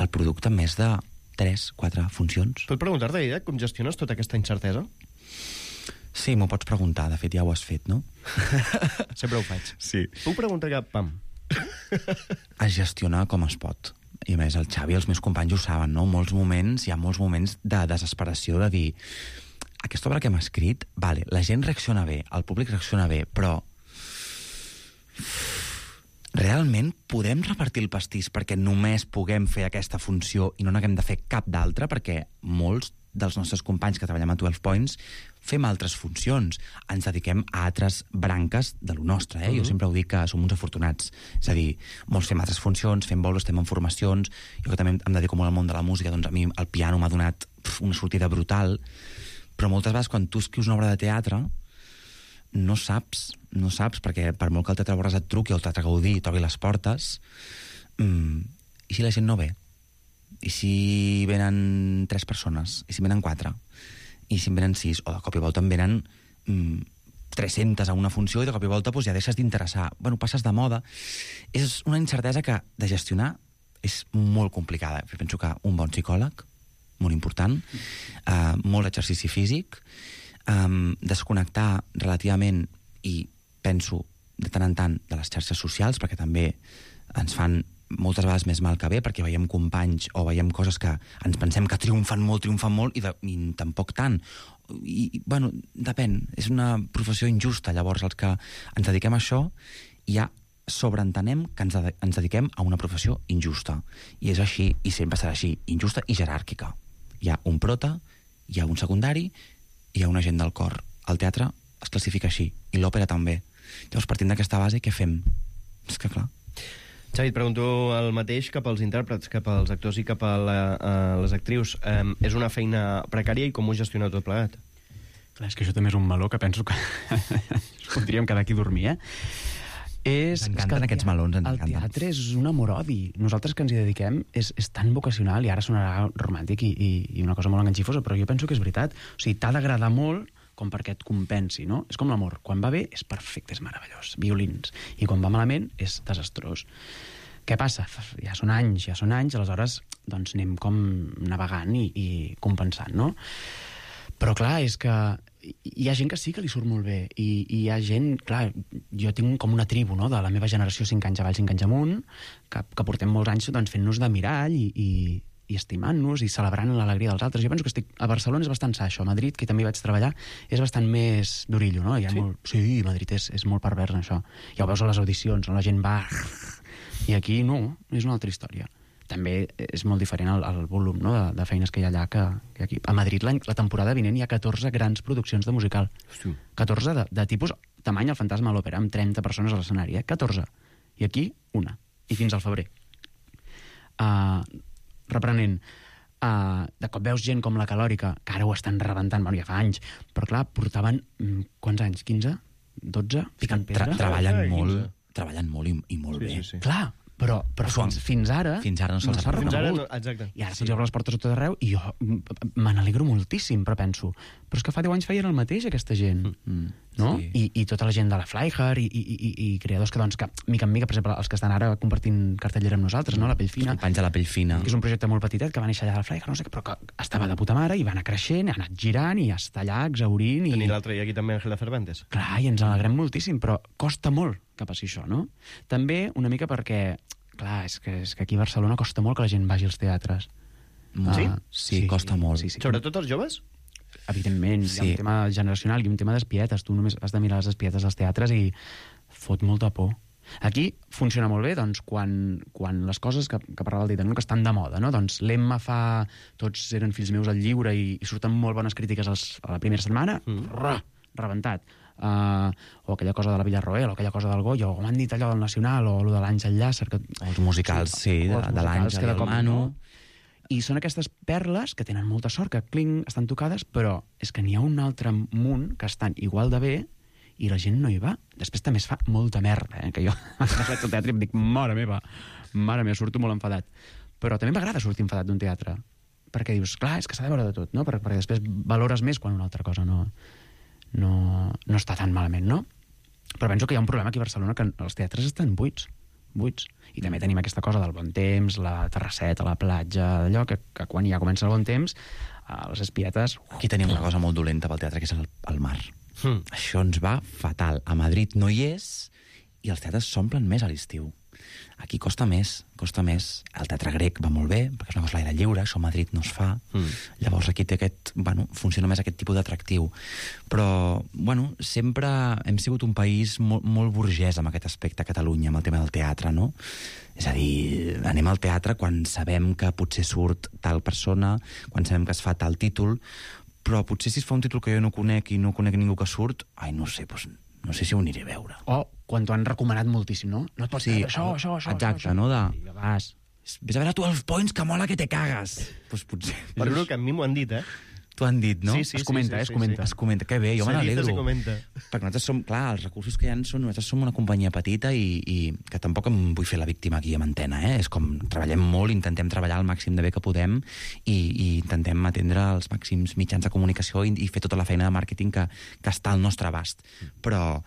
el producte en més de 3-4 funcions. Puc preguntar-te, Didac, com gestiones tota aquesta incertesa? Sí, m'ho pots preguntar, de fet ja ho has fet, no? Sempre ho faig. Sí. Puc preguntar que, pam... Es gestiona com es pot. I a més, el Xavi i els meus companys ho saben, no? Hi ha molts moments de desesperació de dir aquesta obra que hem escrit, vale, la gent reacciona bé, el públic reacciona bé, però realment podem repartir el pastís perquè només puguem fer aquesta funció i no n'haguem de fer cap d'altra, perquè molts dels nostres companys que treballem a 12 Points fem altres funcions, ens dediquem a altres branques de lo nostre, Jo sempre ho dic que som uns afortunats, és a dir, molts fem altres funcions, fem bolos, estem en formacions, jo que també em dedico molt al món de la música, doncs a mi el piano m'ha donat una sortida brutal, però moltes vegades quan tu escrius una obra de teatre no saps, perquè per molt que el Teatre Borràs et truqui o el Teatre Gaudí i t'obri les portes, i si la gent no ve? I si venen 3 persones? I si venen 4? I si en venen 6? O de cop i volta en venen 300 a una funció i de cop i volta ja deixes d'interessar. Bueno, passes de moda. És una incertesa que de gestionar és molt complicada. Jo penso que un bon psicòleg, molt important, molt exercici físic, desconnectar relativament, i penso de tant en tant, de les xarxes socials, perquè també ens fan moltes vegades més mal que bé, perquè veiem companys o veiem coses que ens pensem que triomfen molt i tampoc tant. I, bueno, depèn. És una professió injusta. Llavors, els que ens dediquem a això ja sobreentenem que ens dediquem a una professió injusta. I és així, i sempre serà així, injusta i jeràrquica. Hi ha un prota, hi ha un secundari, hi ha un agent del cor. El teatre es classifica així, i l'òpera també. Llavors, partint d'aquesta base, què fem? És que, clar... Xavi, et pregunto el mateix cap als intèrprets, cap als actors i cap a les actrius. És una feina precària i com ho gestioneu tot plegat? Clar, és que això també és un meló que penso que podríem quedar aquí a dormir, Ens encanten aquests melons, ens encanten. El teatre és un amor-odi. Nosaltres que ens hi dediquem és tan vocacional, i ara sonarà romàntic i una cosa molt enganxifosa, però jo penso que és veritat. O sigui, t'ha d'agradar molt com perquè et compensi, no? És com l'amor. Quan va bé és perfecte, és meravellós, violins. I quan va malament és desastrós. Què passa? Ja són anys, aleshores doncs anem com navegant i compensant, no? Però clar, és que hi ha gent que sí que li surt molt bé, i hi ha gent, clar, jo tinc com una tribu, no?, de la meva generació 5 anys avall, 5 anys amunt, que portem molts anys doncs, fent-nos de mirall i estimant-nos i celebrant l'alegria dels altres. Jo penso que a Barcelona és bastant sa, això. A Madrid, que també vaig treballar, és bastant més d'orillo, no? Sí, Madrid és molt pervers en això. Ja ho veus a les audicions, on la gent va... I aquí no, és una altra història. També és molt diferent el volum, no?, de feines que hi ha allà que aquí. A Madrid la temporada vinent hi ha 14 grans produccions de musical. 14 de tipus tamany El fantasma de l'òpera, amb 30 persones a l'escenari, 14. I aquí, una. I fins al febrer. Reprenent, de cop veus gent com la Calòrica, que ara ho estan rebentant, bueno, ja fa anys, però clar, portaven, quants anys? 15? 12? Picant pedra? Treballen molt i molt bé. Sí. Clar, però fins ara no se'ls ha reconegut. Exacte. I ara se'ls obre les portes a tot arreu i jo me n'alegro moltíssim, però penso, però és que fa 10 anys feien el mateix aquesta gent, no? Sí. I tota la gent de la Flyhard i creadors que, doncs, que mica en mica, per exemple, els que estan ara compartint cartellera amb nosaltres, no? La Pell Fina. El Panys de la Pell Fina. Que és un projecte molt petitet que va néixer allà de la Flyhard, no sé què, però que estava de puta mare i va anar creixent, ha anat girant i està allà exhaurint. I l'altre dia aquí també Ángela Cervantes. Clar, i ens alegrem moltíssim, però costa molt que passi això, no? També una mica perquè, clar, és que aquí a Barcelona costa molt que la gent vagi als teatres. Sí, costa molt. Sí. Sobretot els joves? Evidentment, hi ha un tema generacional i un tema d'espietes. Tu només has de mirar les espietes dels teatres i fot molta por. Aquí funciona molt bé, doncs, quan les coses que parlava el Dita, no?, que estan de moda, no? Doncs l'Emma fa Tots eren fills meus al lliure i surten molt bones crítiques a la primera setmana, rebentat. O aquella cosa de la Villarroel, o aquella cosa del Goya, o m'han dit allò del Nacional, o allò de l'Àngel Llàcer... Els musicals, de l'Àngel i el Manu... I són aquestes perles que tenen molta sort, que estan tocades, però és que n'hi ha un altre munt que estan igual de bé i la gent no hi va. Després també es fa molta merda, que jo vaig al teatre i em dic, mare meva, surto molt enfadat. Però també m'agrada sortir enfadat d'un teatre, perquè dius, clar, és que s'ha de veure de tot, no? Perquè després valores més quan una altra cosa no està tan malament, no? Però penso que hi ha un problema aquí a Barcelona, que els teatres estan buits. I també tenim aquesta cosa del bon temps, la terrasseta, la platja, allò que quan ja comença el bon temps, les espietes... Aquí tenim una cosa molt dolenta pel teatre, que és el mar. Això ens va fatal. A Madrid no hi és i els teatres s'omplen més a l'estiu. Aquí costa més. El teatre grec va molt bé, perquè és una cosa a l'aire lliure, això a Madrid no es fa. Llavors aquí té funciona més aquest tipus d'atractiu. Però, sempre hem sigut un país molt burgès amb aquest aspecte a Catalunya, amb el tema del teatre, no? És a dir, anem al teatre quan sabem que potser surt tal persona, quan sabem que es fa tal títol, però potser si es fa un títol que jo no conec i no conec ningú que surt, no sé si ho aniré a veure. O quan t'ho han recomanat moltíssim, no? No et pots dir això. Exacte, no? Vas. Ves a veure 12 Points, que mola que te cagues. Doncs potser. Juro que a mi m'ho han dit, T'ho han dit, no? Sí. Es comenta. Es comenta. Que bé, jo me n'alegro. Se comenta. Perquè nosaltres som, clar, els recursos que hi ha nosaltres som una companyia petita i que tampoc em vull fer la víctima aquí amb antena, És com, treballem molt, intentem treballar al màxim de bé que podem i intentem atendre els màxims mitjans de comunicació i fer tota la feina de màrqueting que està al nostre abast. Però,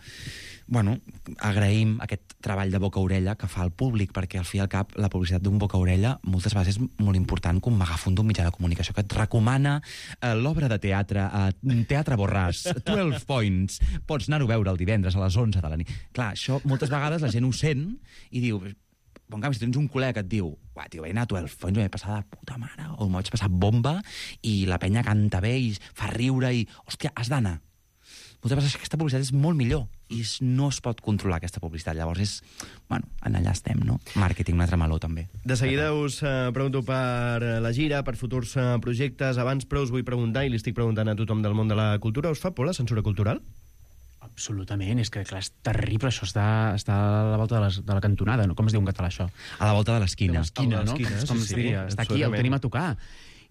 agraïm aquest treball de boca-orella que fa el públic, perquè al fi i al cap la publicitat d'un boca-orella moltes vegades és molt important com megafon d'un mitjà de comunicació que et recomana l'obra de teatre a Teatre Borràs, 12 Points, pots anar-ho a veure el divendres a les 11 de la nit. Clar, això moltes vegades la gent ho sent i diu, en canvi, si tens un col·lega que et diu, vaig anar a 12 Points, m'he passat de puta mare, o m'ho vaig passar bomba, i la penya canta bé i fa riure i, hòstia, has d'anar. Moltes vegades aquesta publicitat és molt millor i no es pot controlar aquesta publicitat. Llavors allà estem, no? Màrqueting, un altre meló, també. De seguida us pregunto per la gira, per futurs projectes. Abans, però, us vull preguntar, i li estic preguntant a tothom del món de la cultura, us fa por la censura cultural? Absolutament, és que, clar, és terrible, això està a la volta de la cantonada, no? Com es diu en català, això? A la volta de l'esquina. No? Com es diria? Està aquí, el tenim a tocar.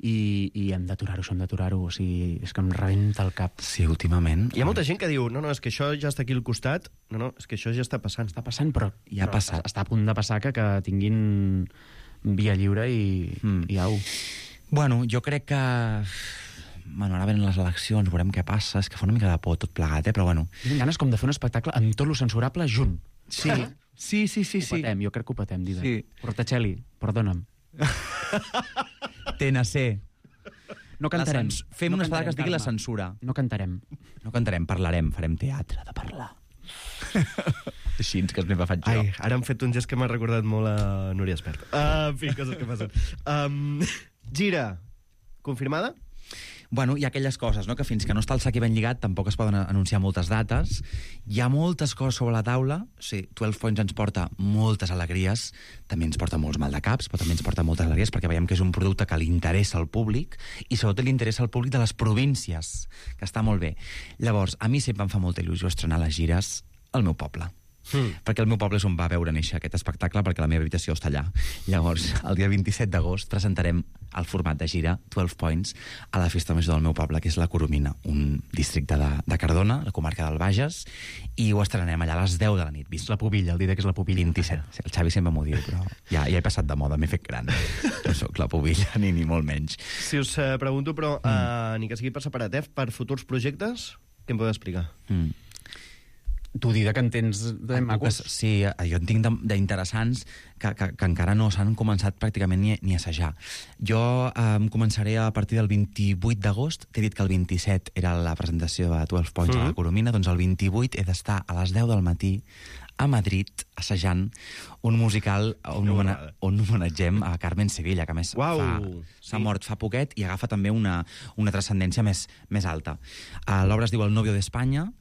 I hem d'aturar-ho, o sigui, és que em rebenta el cap. Sí, últimament. Hi ha molta gent que diu, no, és que això ja està aquí al costat, no, és que això ja està passant. Està passant, però ja ha passat. Està a punt de passar que tinguin via lliure i au. Jo crec que... ara venen les eleccions, veurem què passa, és que fa una mica de por tot plegat, però Tinc ganes com de fer un espectacle amb tot lo censurable junt. Sí. Ho patem, jo crec que ho patem, Dida. Sí. Portacelli, perdona'm. TNC. No cantarem. Fem una espada que es digui la censura. No cantarem. No cantarem, parlarem, farem teatre de parlar. Així que me faig jo. Ara hem fet un gest que m'ha recordat molt a Núria Espert. En fi, coses que passen. Gira, confirmada? Hi ha aquelles coses, no?, que fins que no està el sac ben lligat tampoc es poden anunciar moltes dates. Hi ha moltes coses sobre la taula. Sí, 12 Points ens porta moltes alegries, també ens porta molts maldecaps, però també ens porta moltes alegries perquè veiem que és un producte que li interessa al públic i sobretot li interessa al públic de les províncies, que està molt bé. Llavors, a mi sempre em fa molta il·lusió estrenar les gires al meu poble. Perquè el meu poble és on va veure néixer aquest espectacle, perquè la meva habitació està allà. Llavors, el dia 27 d'agost presentarem el format de gira 12 Points a la festa major del meu poble, que és la Coromina, un districte de Cardona, la comarca del Bages, i ho estrenem allà a les 10 de la nit. És la pubilla, el dia que és la pubilla. 27. El Xavi sempre m'ho diu, però ja he passat de moda, m'he fet gran. No soc la pubilla, ni molt menys. Si us pregunto, però, ni que sigui per separat, per futurs projectes, què em podeu explicar? Tu, Dida, que en tens de macos. Sí, jo en tinc d'interessants que encara no s'han començat pràcticament ni a assajar. Jo començaré a partir del 28 d'agost. T'he dit que el 27 era la presentació de 12 Points a la Coromina, doncs el 28 he d'estar a les 10 del matí a Madrid assajant un musical on homenatgem a Carmen Sevilla, que a més s'ha mort fa poquet i agafa també una transcendència més alta. L'obra es diu El novio d'Espanya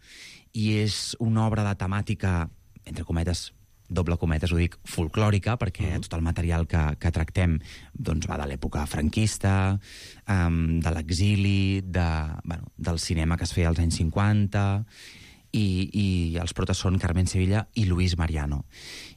i és una obra de temàtica, entre cometes, doble cometes, ho dic, folclòrica, perquè tot el material que tractem doncs, va de l'època franquista, de l'exili, del cinema que es feia als anys 50, i els protes són Carmen Sevilla i Luis Mariano.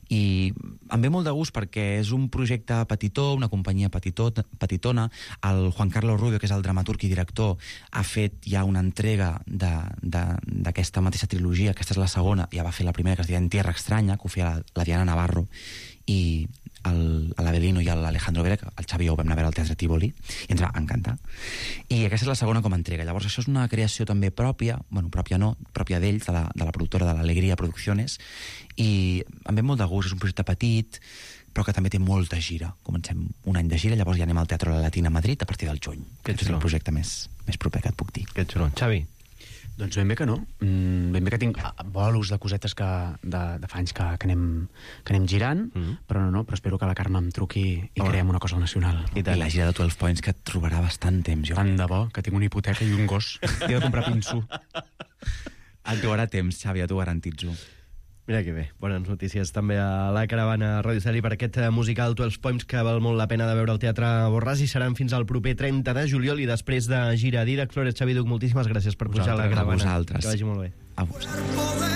I em ve molt de gust perquè és un projecte petitó, una companyia petitona. El Juan Carlos Rubio, que és el dramaturg i director, ha fet ja una entrega d'aquesta mateixa trilogia. Aquesta és la segona, ja va fer la primera, que es deia En Tierra Extraña, que ho feia la Diana Navarro, i l'Avelino i l'Alejandro Vera, que el Xavi ho vam anar a veure al Teatre Tívoli, i ens va encantar. I aquesta és la segona com a entrega. Llavors, això és una creació també pròpia, pròpia d'ells, de la productora de l'Alegria Producciones, i em ve molt de gust, és un projecte petit, però que també té molta gira. Comencem un any de gira, llavors ja anem al Teatre La Latina a Madrid a partir del juny. Que és el projecte més proper que et puc dir. Que xulo. Xavi? Doncs ben bé que no. Ben bé que tinc bolos de cosetes de fa anys que anem girant, però però espero que la Carme em truqui i creem una cosa al Nacional. I la gira de 12 Points, que et trobarà bastant temps, jo. Tant de bo, que tinc una hipoteca i un gos. He de comprar pinso. Et trobarà temps, Xavi, ja t'ho garantitzo. Mira que bé, bones notícies també a la caravana Radio Celi per aquest musical 12 Points que val molt la pena de veure al Teatre Borràs i seran fins al proper 30 de juliol i després de gira a Dídac. Flores, Xavi Duc, moltíssimes gràcies per pujar a la caravana. A vosaltres. Que vagi molt bé. A vosaltres.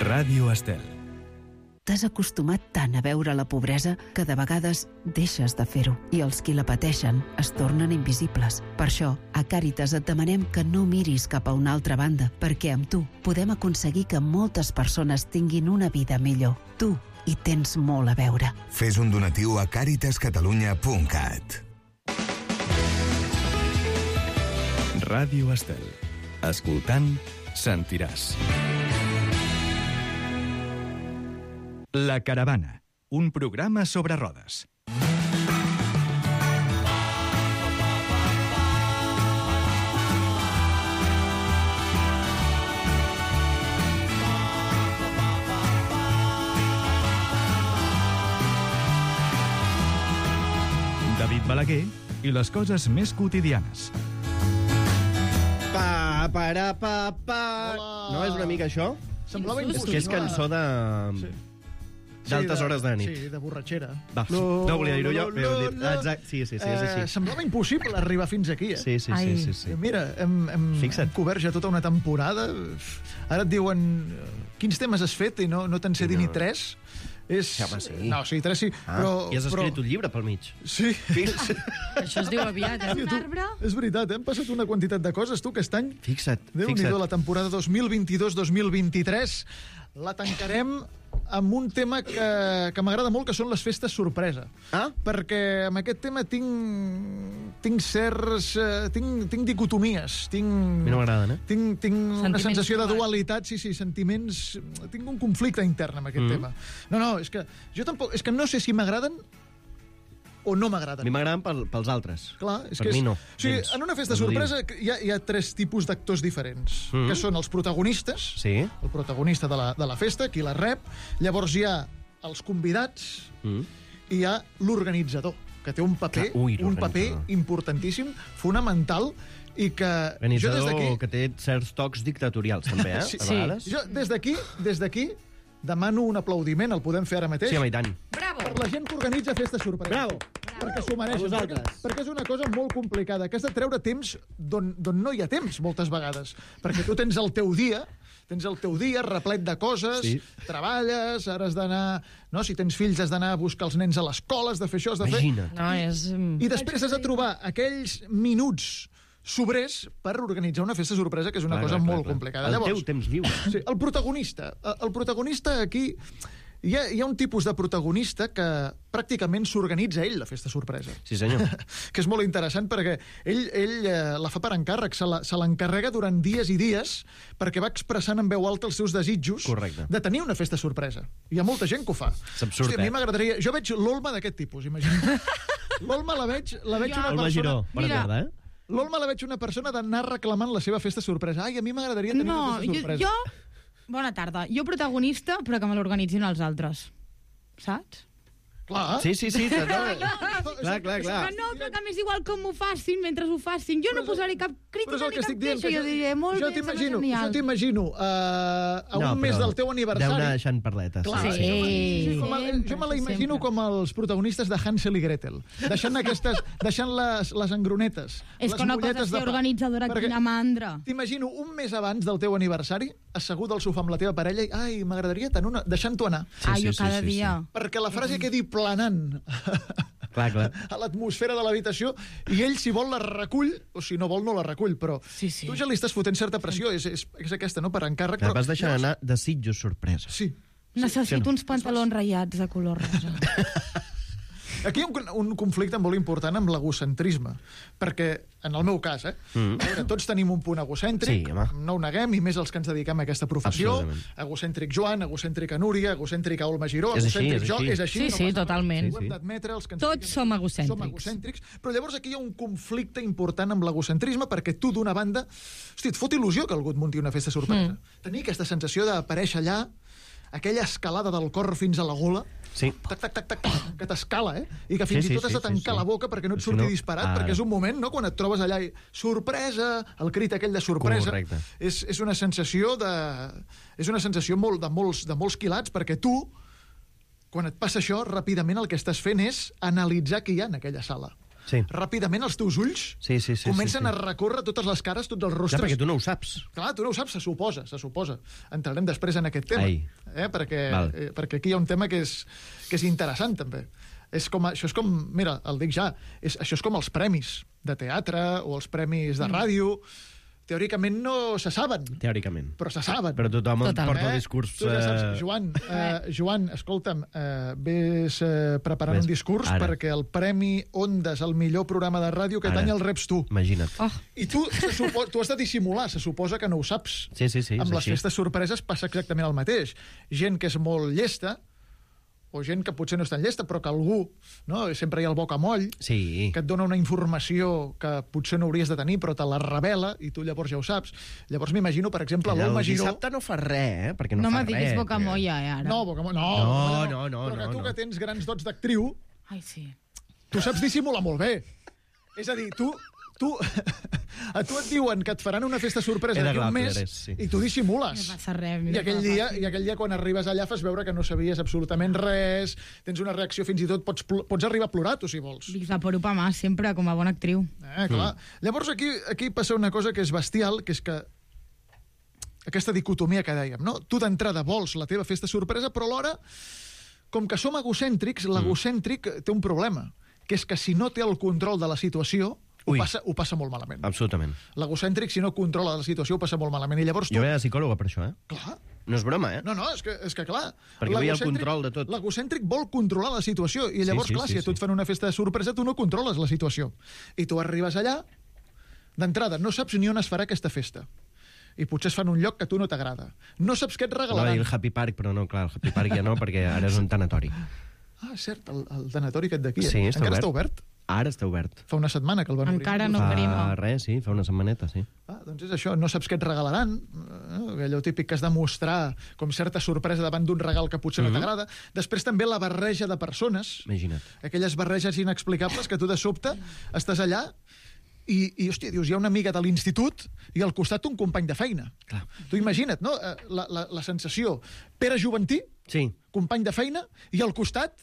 Ràdio Estel. T'has acostumat tant a veure la pobresa que de vegades deixes de fer-ho i els qui la pateixen es tornen invisibles. Per això, a Càritas et demanem que no miris cap a una altra banda, perquè amb tu podem aconseguir que moltes persones tinguin una vida millor. Tu hi tens molt a veure. Fes un donatiu a caritascatalunya.cat. Ràdio Estel. Escoltant, sentiràs. La caravana, un programa sobre rodes. David Balaguer i les coses més quotidianes. Pa. No és una mica això? Semblava És que és cançó de... d'altes hores de nit. Sí, de borratxera. Va, no volia dir-ho jo, però heu dit. Exacte, sí, és així. Semblava impossible arribar fins aquí, Sí. Mira, hem cobert ja tota una temporada. Ara et diuen quins temes has fet i no te'n sé dir ni 3. Home, sí. No, sí, 3 sí. Però, I has escrit un llibre pel mig. Sí. Això es diu aviat, Un arbre? És veritat, hem passat una quantitat de coses, tu, aquest any. Fixa't. Déu-n'hi-do, la temporada 2022-2023 la tancarem amb un tema que m'agrada molt, que són les festes sorpresa. Perquè amb aquest tema tinc certs... tinc dicotomies. A mi no m'agraden, Tinc una sensació de dualitat, sí, sentiments... Tinc un conflicte intern amb aquest tema. No, és que jo tampoc... És que no sé si m'agraden o no m'agraden. A mi m'agraden pels altres. Clar, per mi no. O sigui, en una festa sorpresa hi ha 3 tipus d'actors diferents, que són els protagonistes, el protagonista de la festa, qui la rep, llavors hi ha els convidats i hi ha l'organitzador, que té un paper importantíssim, fonamental, i que... Organitzador que té certs tocs dictatorials, també, a vegades. Jo, des d'aquí, demano un aplaudiment, el podem fer ara mateix. Sí, home, i tant. Bravo! Per la gent que organitza festes sorpresa. Bravo! Perquè s'ho mereixen. Perquè és una cosa molt complicada, que has de treure temps d'on no hi ha temps, moltes vegades. Perquè tu tens el teu dia replet de coses, treballes, ara has d'anar... No? Si tens fills, has d'anar a buscar els nens a l'escola, has de fer això, has de fer... Imagina't. I després has de trobar aquells minuts sobrers per organitzar una festa sorpresa, que és una cosa molt complicada. El teu temps lliure. Sí, el protagonista aquí... Hi ha un tipus de protagonista que pràcticament s'organitza ell, la festa sorpresa. Sí, senyor. Que és molt interessant perquè ell la fa per encàrrec, se l'encarrega durant dies i dies perquè va expressant en veu alta els seus desitjos de tenir una festa sorpresa. Hi ha molta gent que ho fa. És absurd, a mi m'agradaria... Jo veig l'Olma d'aquest tipus, imagina. L'Olma la veig una persona... Olma Giró, bona tarda, L'Olma la veig una persona d'anar reclamant la seva festa sorpresa. Ai, a mi m'agradaria tenir una festa sorpresa. Bona tarda. Jo protagonista, però que me l'organitzin els altres. saps? Clar. Sí. Clar. Que no, però que m'és igual com ho facin mentre ho facin. Jo no posaré cap crítica ni cap queixa. Jo diré, molt bé, sembla genial. Jo t'imagino a un mes del teu aniversari... Deu anar deixant parletes. Clar, sí. Jo me la imagino com els protagonistes de Hansel i Gretel, deixant les engronetes, És les que una cosa molletes és de ser pa. organitzadora, quina mandra. T'imagino un mes abans del teu aniversari, assegut al sofà amb la teva parella i, ai, m'agradaria tenir una... deixant-t'ho anar. Jo cada dia. Perquè la frase quedi planant Clar. a l'atmosfera de l'habitació i ell, si vol, la recull, o si no vol, no la recull, però tu ja li estàs fotent certa pressió, és aquesta, no?, per encàrrec. Clar, vas deixant anar desitjos sorpresa. Sí. Necessito uns pantalons ratllats de color rosa. Aquí hi ha un conflicte molt important amb l'egocentrisme, perquè, en el meu cas, a veure, tots tenim un punt egocèntric, no ho neguem, i més els que ens dediquem a aquesta professió. Egocèntric Joan, egocèntrica Núria, egocèntrica Olma Giró, egocèntric jo, és així. Sí, totalment. Ho hem d'admetre, els que tots som egocèntrics. Però llavors aquí hi ha un conflicte important amb l'egocentrisme, perquè tu, d'una banda, hosti, et fot il·lusió que algú et munti una festa sorpresa. Tenir aquesta sensació d'aparèixer allà, aquella escalada del cor fins a la gola, tac, que t'escala, i que fins i tot has de tancar la boca perquè no et surti disparat, perquè és un moment, no?, quan et trobes allà i sorpresa, el crit aquell de sorpresa. Correcte. És una sensació de molts quilats, perquè tu, quan et passa això, ràpidament el que estàs fent és analitzar què hi ha en aquella sala. Ràpidament els teus ulls comencen a recórrer totes les cares, tots els rostres. Ja, perquè tu no ho saps. Clar, tu no ho saps, se suposa. Entrarem després en aquest tema, perquè aquí hi ha un tema que és interessant, també. Això és com, mira, el dic ja, això és com els premis de teatre o els premis de ràdio. Teòricament no se saben. Teòricament. Però se saben. Però tothom porta el discurs... Tu ja saps, Joan, escolta'm, vés preparant un discurs perquè el Premi Ondas, el millor programa de ràdio, aquest any el reps tu. Imagina't. I tu has de dissimular, se suposa que no ho saps. Sí, amb les festes sorpreses passa exactament el mateix. Gent que és molt llesta, o gent que potser no és tan llesta, però que algú, no? Sempre hi ha el bocamoll, que et dona una informació que potser no hauries de tenir, però te la revela, i tu llavors ja ho saps. Llavors m'imagino, per exemple, l'Olma Giró... El dissabte no fa res, perquè no fa res. No me diguis bocamolla, ara. No, bocamolla no. Però que tu que tens grans dots d'actriu... Ai, sí. Tu saps dissimular molt bé. És a dir, a tu et diuen que et faran una festa sorpresa d'aquí un mes i tu dissimules. No passa res. I aquell dia, quan arribes allà, fas veure que no sabies absolutament res, tens una reacció, fins i tot pots arribar a plorar, tu, si vols. Visaporupa más, sempre, com a bona actriu. Clar. Llavors, aquí passa una cosa que és bestial, que és que aquesta dicotomia que dèiem, no? Tu d'entrada vols la teva festa sorpresa, però alhora, com que som egocèntrics, l'egocèntric té un problema, que és que si no té el control de la situació, ho passa molt malament. Absolutament. L'egocèntric, si no controla la situació, ho passa molt malament. I llavors jo veia psicòloga per això, Clar. No és broma, No, és que clar. Perquè veia el control de tot. L'egocèntric vol controlar la situació. I llavors, si a tu et fan una festa de sorpresa, tu no controles la situació. I tu arribes allà, d'entrada, no saps ni on es farà aquesta festa. I potser es fan un lloc que a tu no t'agrada. No saps què et regalaran. El Happy Park, però no, clar, el Happy Park ja no, perquè ara és un tanatori. Cert, el tanatori aquest d'aquí. Sí, encara està obert? Ara està obert. Fa una setmana que el van obrir. Encara no obrim. Fa una setmaneta, sí. Doncs és això, no saps què et regalaran, allò típic que has de mostrar com certa sorpresa davant d'un regal que potser no t'agrada. Després també la barreja de persones. Imagina't. Aquelles barreges inexplicables que tu de sobte estàs allà i hòstia, dius, hi ha una amiga de l'institut i al costat un company de feina. Clar. Tu imagina't, no?, la sensació. Pere Juventí, company de feina, i al costat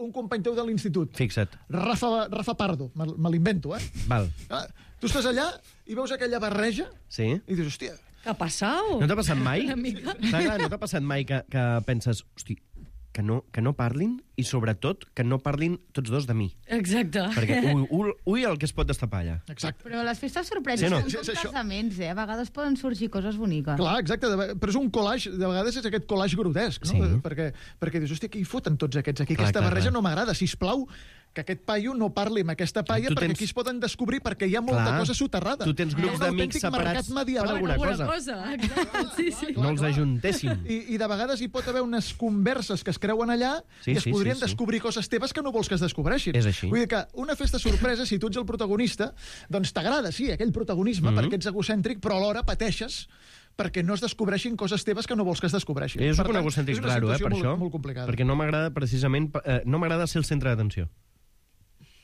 un company teu de l'institut. Fixa't. Rafa Pardo, me l'invento, Val. Tu estàs allà i veus aquella barreja i dius, hòstia... Què ha passat? No t'ha passat mai? Una mica. No t'ha passat mai que penses, hosti, que no parlin i, sobretot, que no parlin tots dos de mi. Exacte. Perquè ui el que es pot destapar allà. Exacte. Però les festes sorpreses són com casaments, A vegades poden sorgir coses boniques. Clar, exacte, però és un collage, de vegades és aquest collage grotesc, no? Perquè dius, hòstia, què hi foten tots aquests aquí? Aquesta barreja no m'agrada, sisplau, que aquest paio no parli amb aquesta paia, perquè aquí es poden descobrir, perquè hi ha molta cosa soterrada. Tu tens grups d'amics separats per alguna cosa. No els ajuntessin. I de vegades hi pot haver unes converses que es creuen allà i es podrien descobrir coses teves que no vols que es descobreixin. És així. Vull dir que una festa sorpresa, si tu ets el protagonista, doncs t'agrada, sí, aquell protagonisme, perquè ets egocèntric, però alhora pateixes perquè no es descobreixin coses teves que no vols que es descobreixin. Jo soc Per un tant, egocèntric és una raro, situació per això. molt complicada. Perquè no m'agrada precisament... no m'agrada ser el centre d'atenció.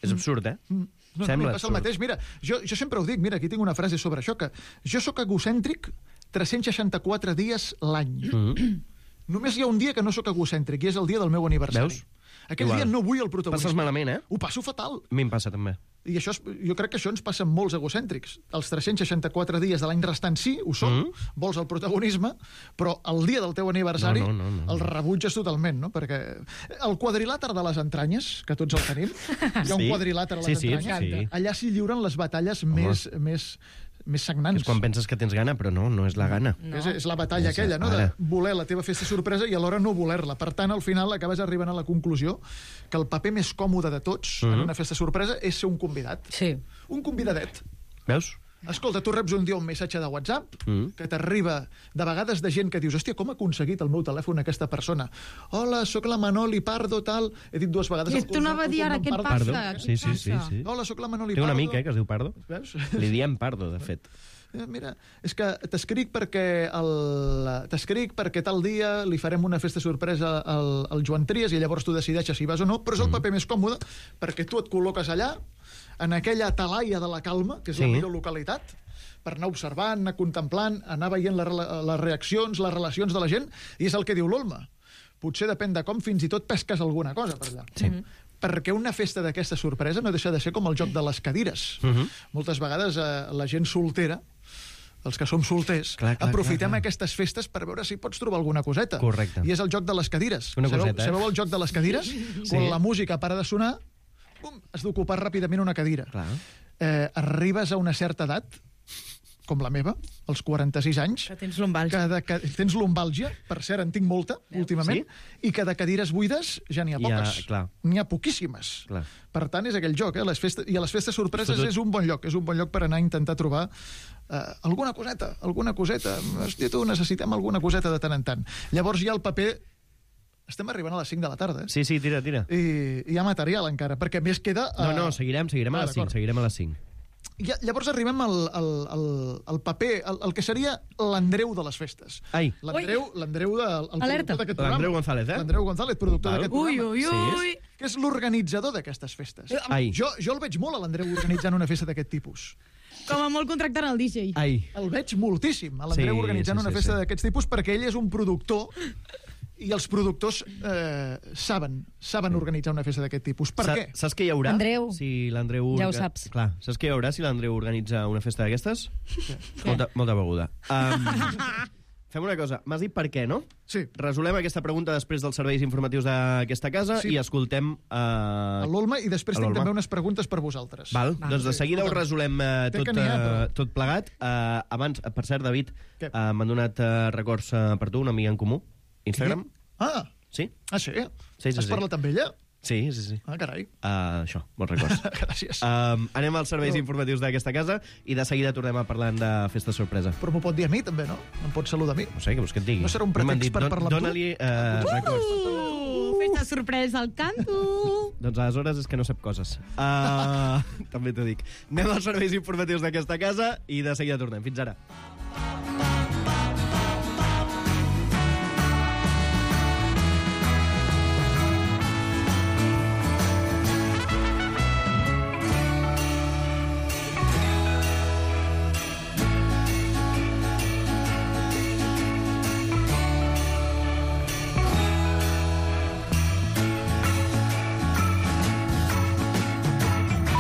És absurd, eh? No, Sembla passa el mateix. Mira, jo sempre ho dic, mira, aquí tinc una frase sobre això, que jo sóc egocèntric 364 dies l'any. Només hi ha un dia que no sóc egocèntric, i és el dia del meu aniversari. Veus? Aquell Igual. dia no vull el protagonisme. Passes malament, eh? Ho passo fatal. A mi em passa, també. I això, jo crec que això ens passa amb molts egocèntrics. Els 364 dies de l'any restant sí, ho som, vols el protagonisme, però el dia del teu aniversari no. el rebutges totalment, no? Perquè el quadrilàter de les entranyes, que tots el tenim, hi ha un quadrilàter a les entranyes, sí. Allà s'hi lliuren les batalles més sagnants. És quan penses que tens gana, però no és la gana. No. És la batalla aquella, no? De voler la teva festa sorpresa i alhora no voler-la. Per tant, al final acabes arribant a la conclusió que el paper més còmode de tots en una festa sorpresa és ser un convidat. Sí. Un convidadet. Veus? Escolta, tu reps un dia un missatge de WhatsApp que t'arriba de vegades de gent que dius hòstia, com ha aconseguit el meu telèfon aquesta persona? Hola, sóc la Manoli Pardo, tal... He dit dues vegades... I tu anava a dir ara, què et passa? Sí. Hola, sóc la Manoli Té Pardo. un amic, que es diu Pardo. Veus? Li diem Pardo, de fet. Mira, és que t'escric perquè tal dia li farem una festa sorpresa al Joan Trias i llavors tu decideixes si vas o no, però és el paper més còmode perquè tu et col·loques allà, en aquella talaia de la calma, que és la millor localitat, per anar observant, anar contemplant, anar veient les reaccions, les relacions de la gent, i és el que diu l'Olma. Potser depèn de com, fins i tot pesques alguna cosa per allà. Sí. Perquè una festa d'aquesta sorpresa no deixa de ser com el joc de les cadires. Moltes vegades la gent soltera, els que som solters, aprofitem aquestes festes per veure si pots trobar alguna coseta. Correcte. I és el joc de les cadires. Sabeu el joc de les cadires? Quan la música para de sonar, has d'ocupar ràpidament una cadira. Arribes a una certa edat, com la meva, als 46 anys... Que tens lumbàlgia. Tens lumbàlgia, per cert, en tinc molta, últimament, i que de cadires buides ja n'hi ha poques. N'hi ha poquíssimes. Per tant, és aquell joc, i a les festes sorpreses és un bon lloc per anar a intentar trobar alguna coseta. Hòstia, tu, necessitem alguna coseta de tant en tant. Llavors hi ha el paper... Estem arribant a les 5 de la tarda, Sí, tira. I hi ha material encara, perquè més queda... No, seguirem a les 5, Llavors arribem al paper, el que seria l'Andreu de les festes. L'Andreu d'aquest programa. L'Andreu González, L'Andreu González, productor d'aquest programa. Ui. Que és l'organitzador d'aquestes festes. Jo el veig molt a l'Andreu organitzant una festa d'aquest tipus. Com a molt contractant el DJ. El veig moltíssim, a l'Andreu organitzant una festa d'aquests tipus, perquè ell és un productor i els productors saben organitzar una festa d'aquest tipus. Per què? Saps què hi haurà? Andreu, si l'Andreu... ja ho saps. Clar, saps què hi haurà si l'Andreu organitza una festa d'aquestes? Molta beguda. Fem una cosa, m'has dit per què, no? Sí. Resolem aquesta pregunta després dels serveis informatius d'aquesta casa i escoltem... l'Olma, i després tinc també unes preguntes per vosaltres. Doncs de seguida ho resolem tot plegat. Abans, per cert, David, m'han donat records per tu, una amiga en comú. Instagram? Sí? Sí? Has parlat amb ella? Sí. Carai. Això, molts records. Gràcies. Anem als serveis informatius d'aquesta casa i de seguida tornem a parlar de festa sorpresa. Però m'ho pot dir a mi, també, no? Em pot saludar a mi. No sé, què vols que et digui? No serà un pretext per parlar amb tu? Dóna-li records. Festa sorpresa al canto! Doncs aleshores és que no sap coses. També t'ho dic. Anem als serveis informatius d'aquesta casa i de seguida tornem. Fins ara.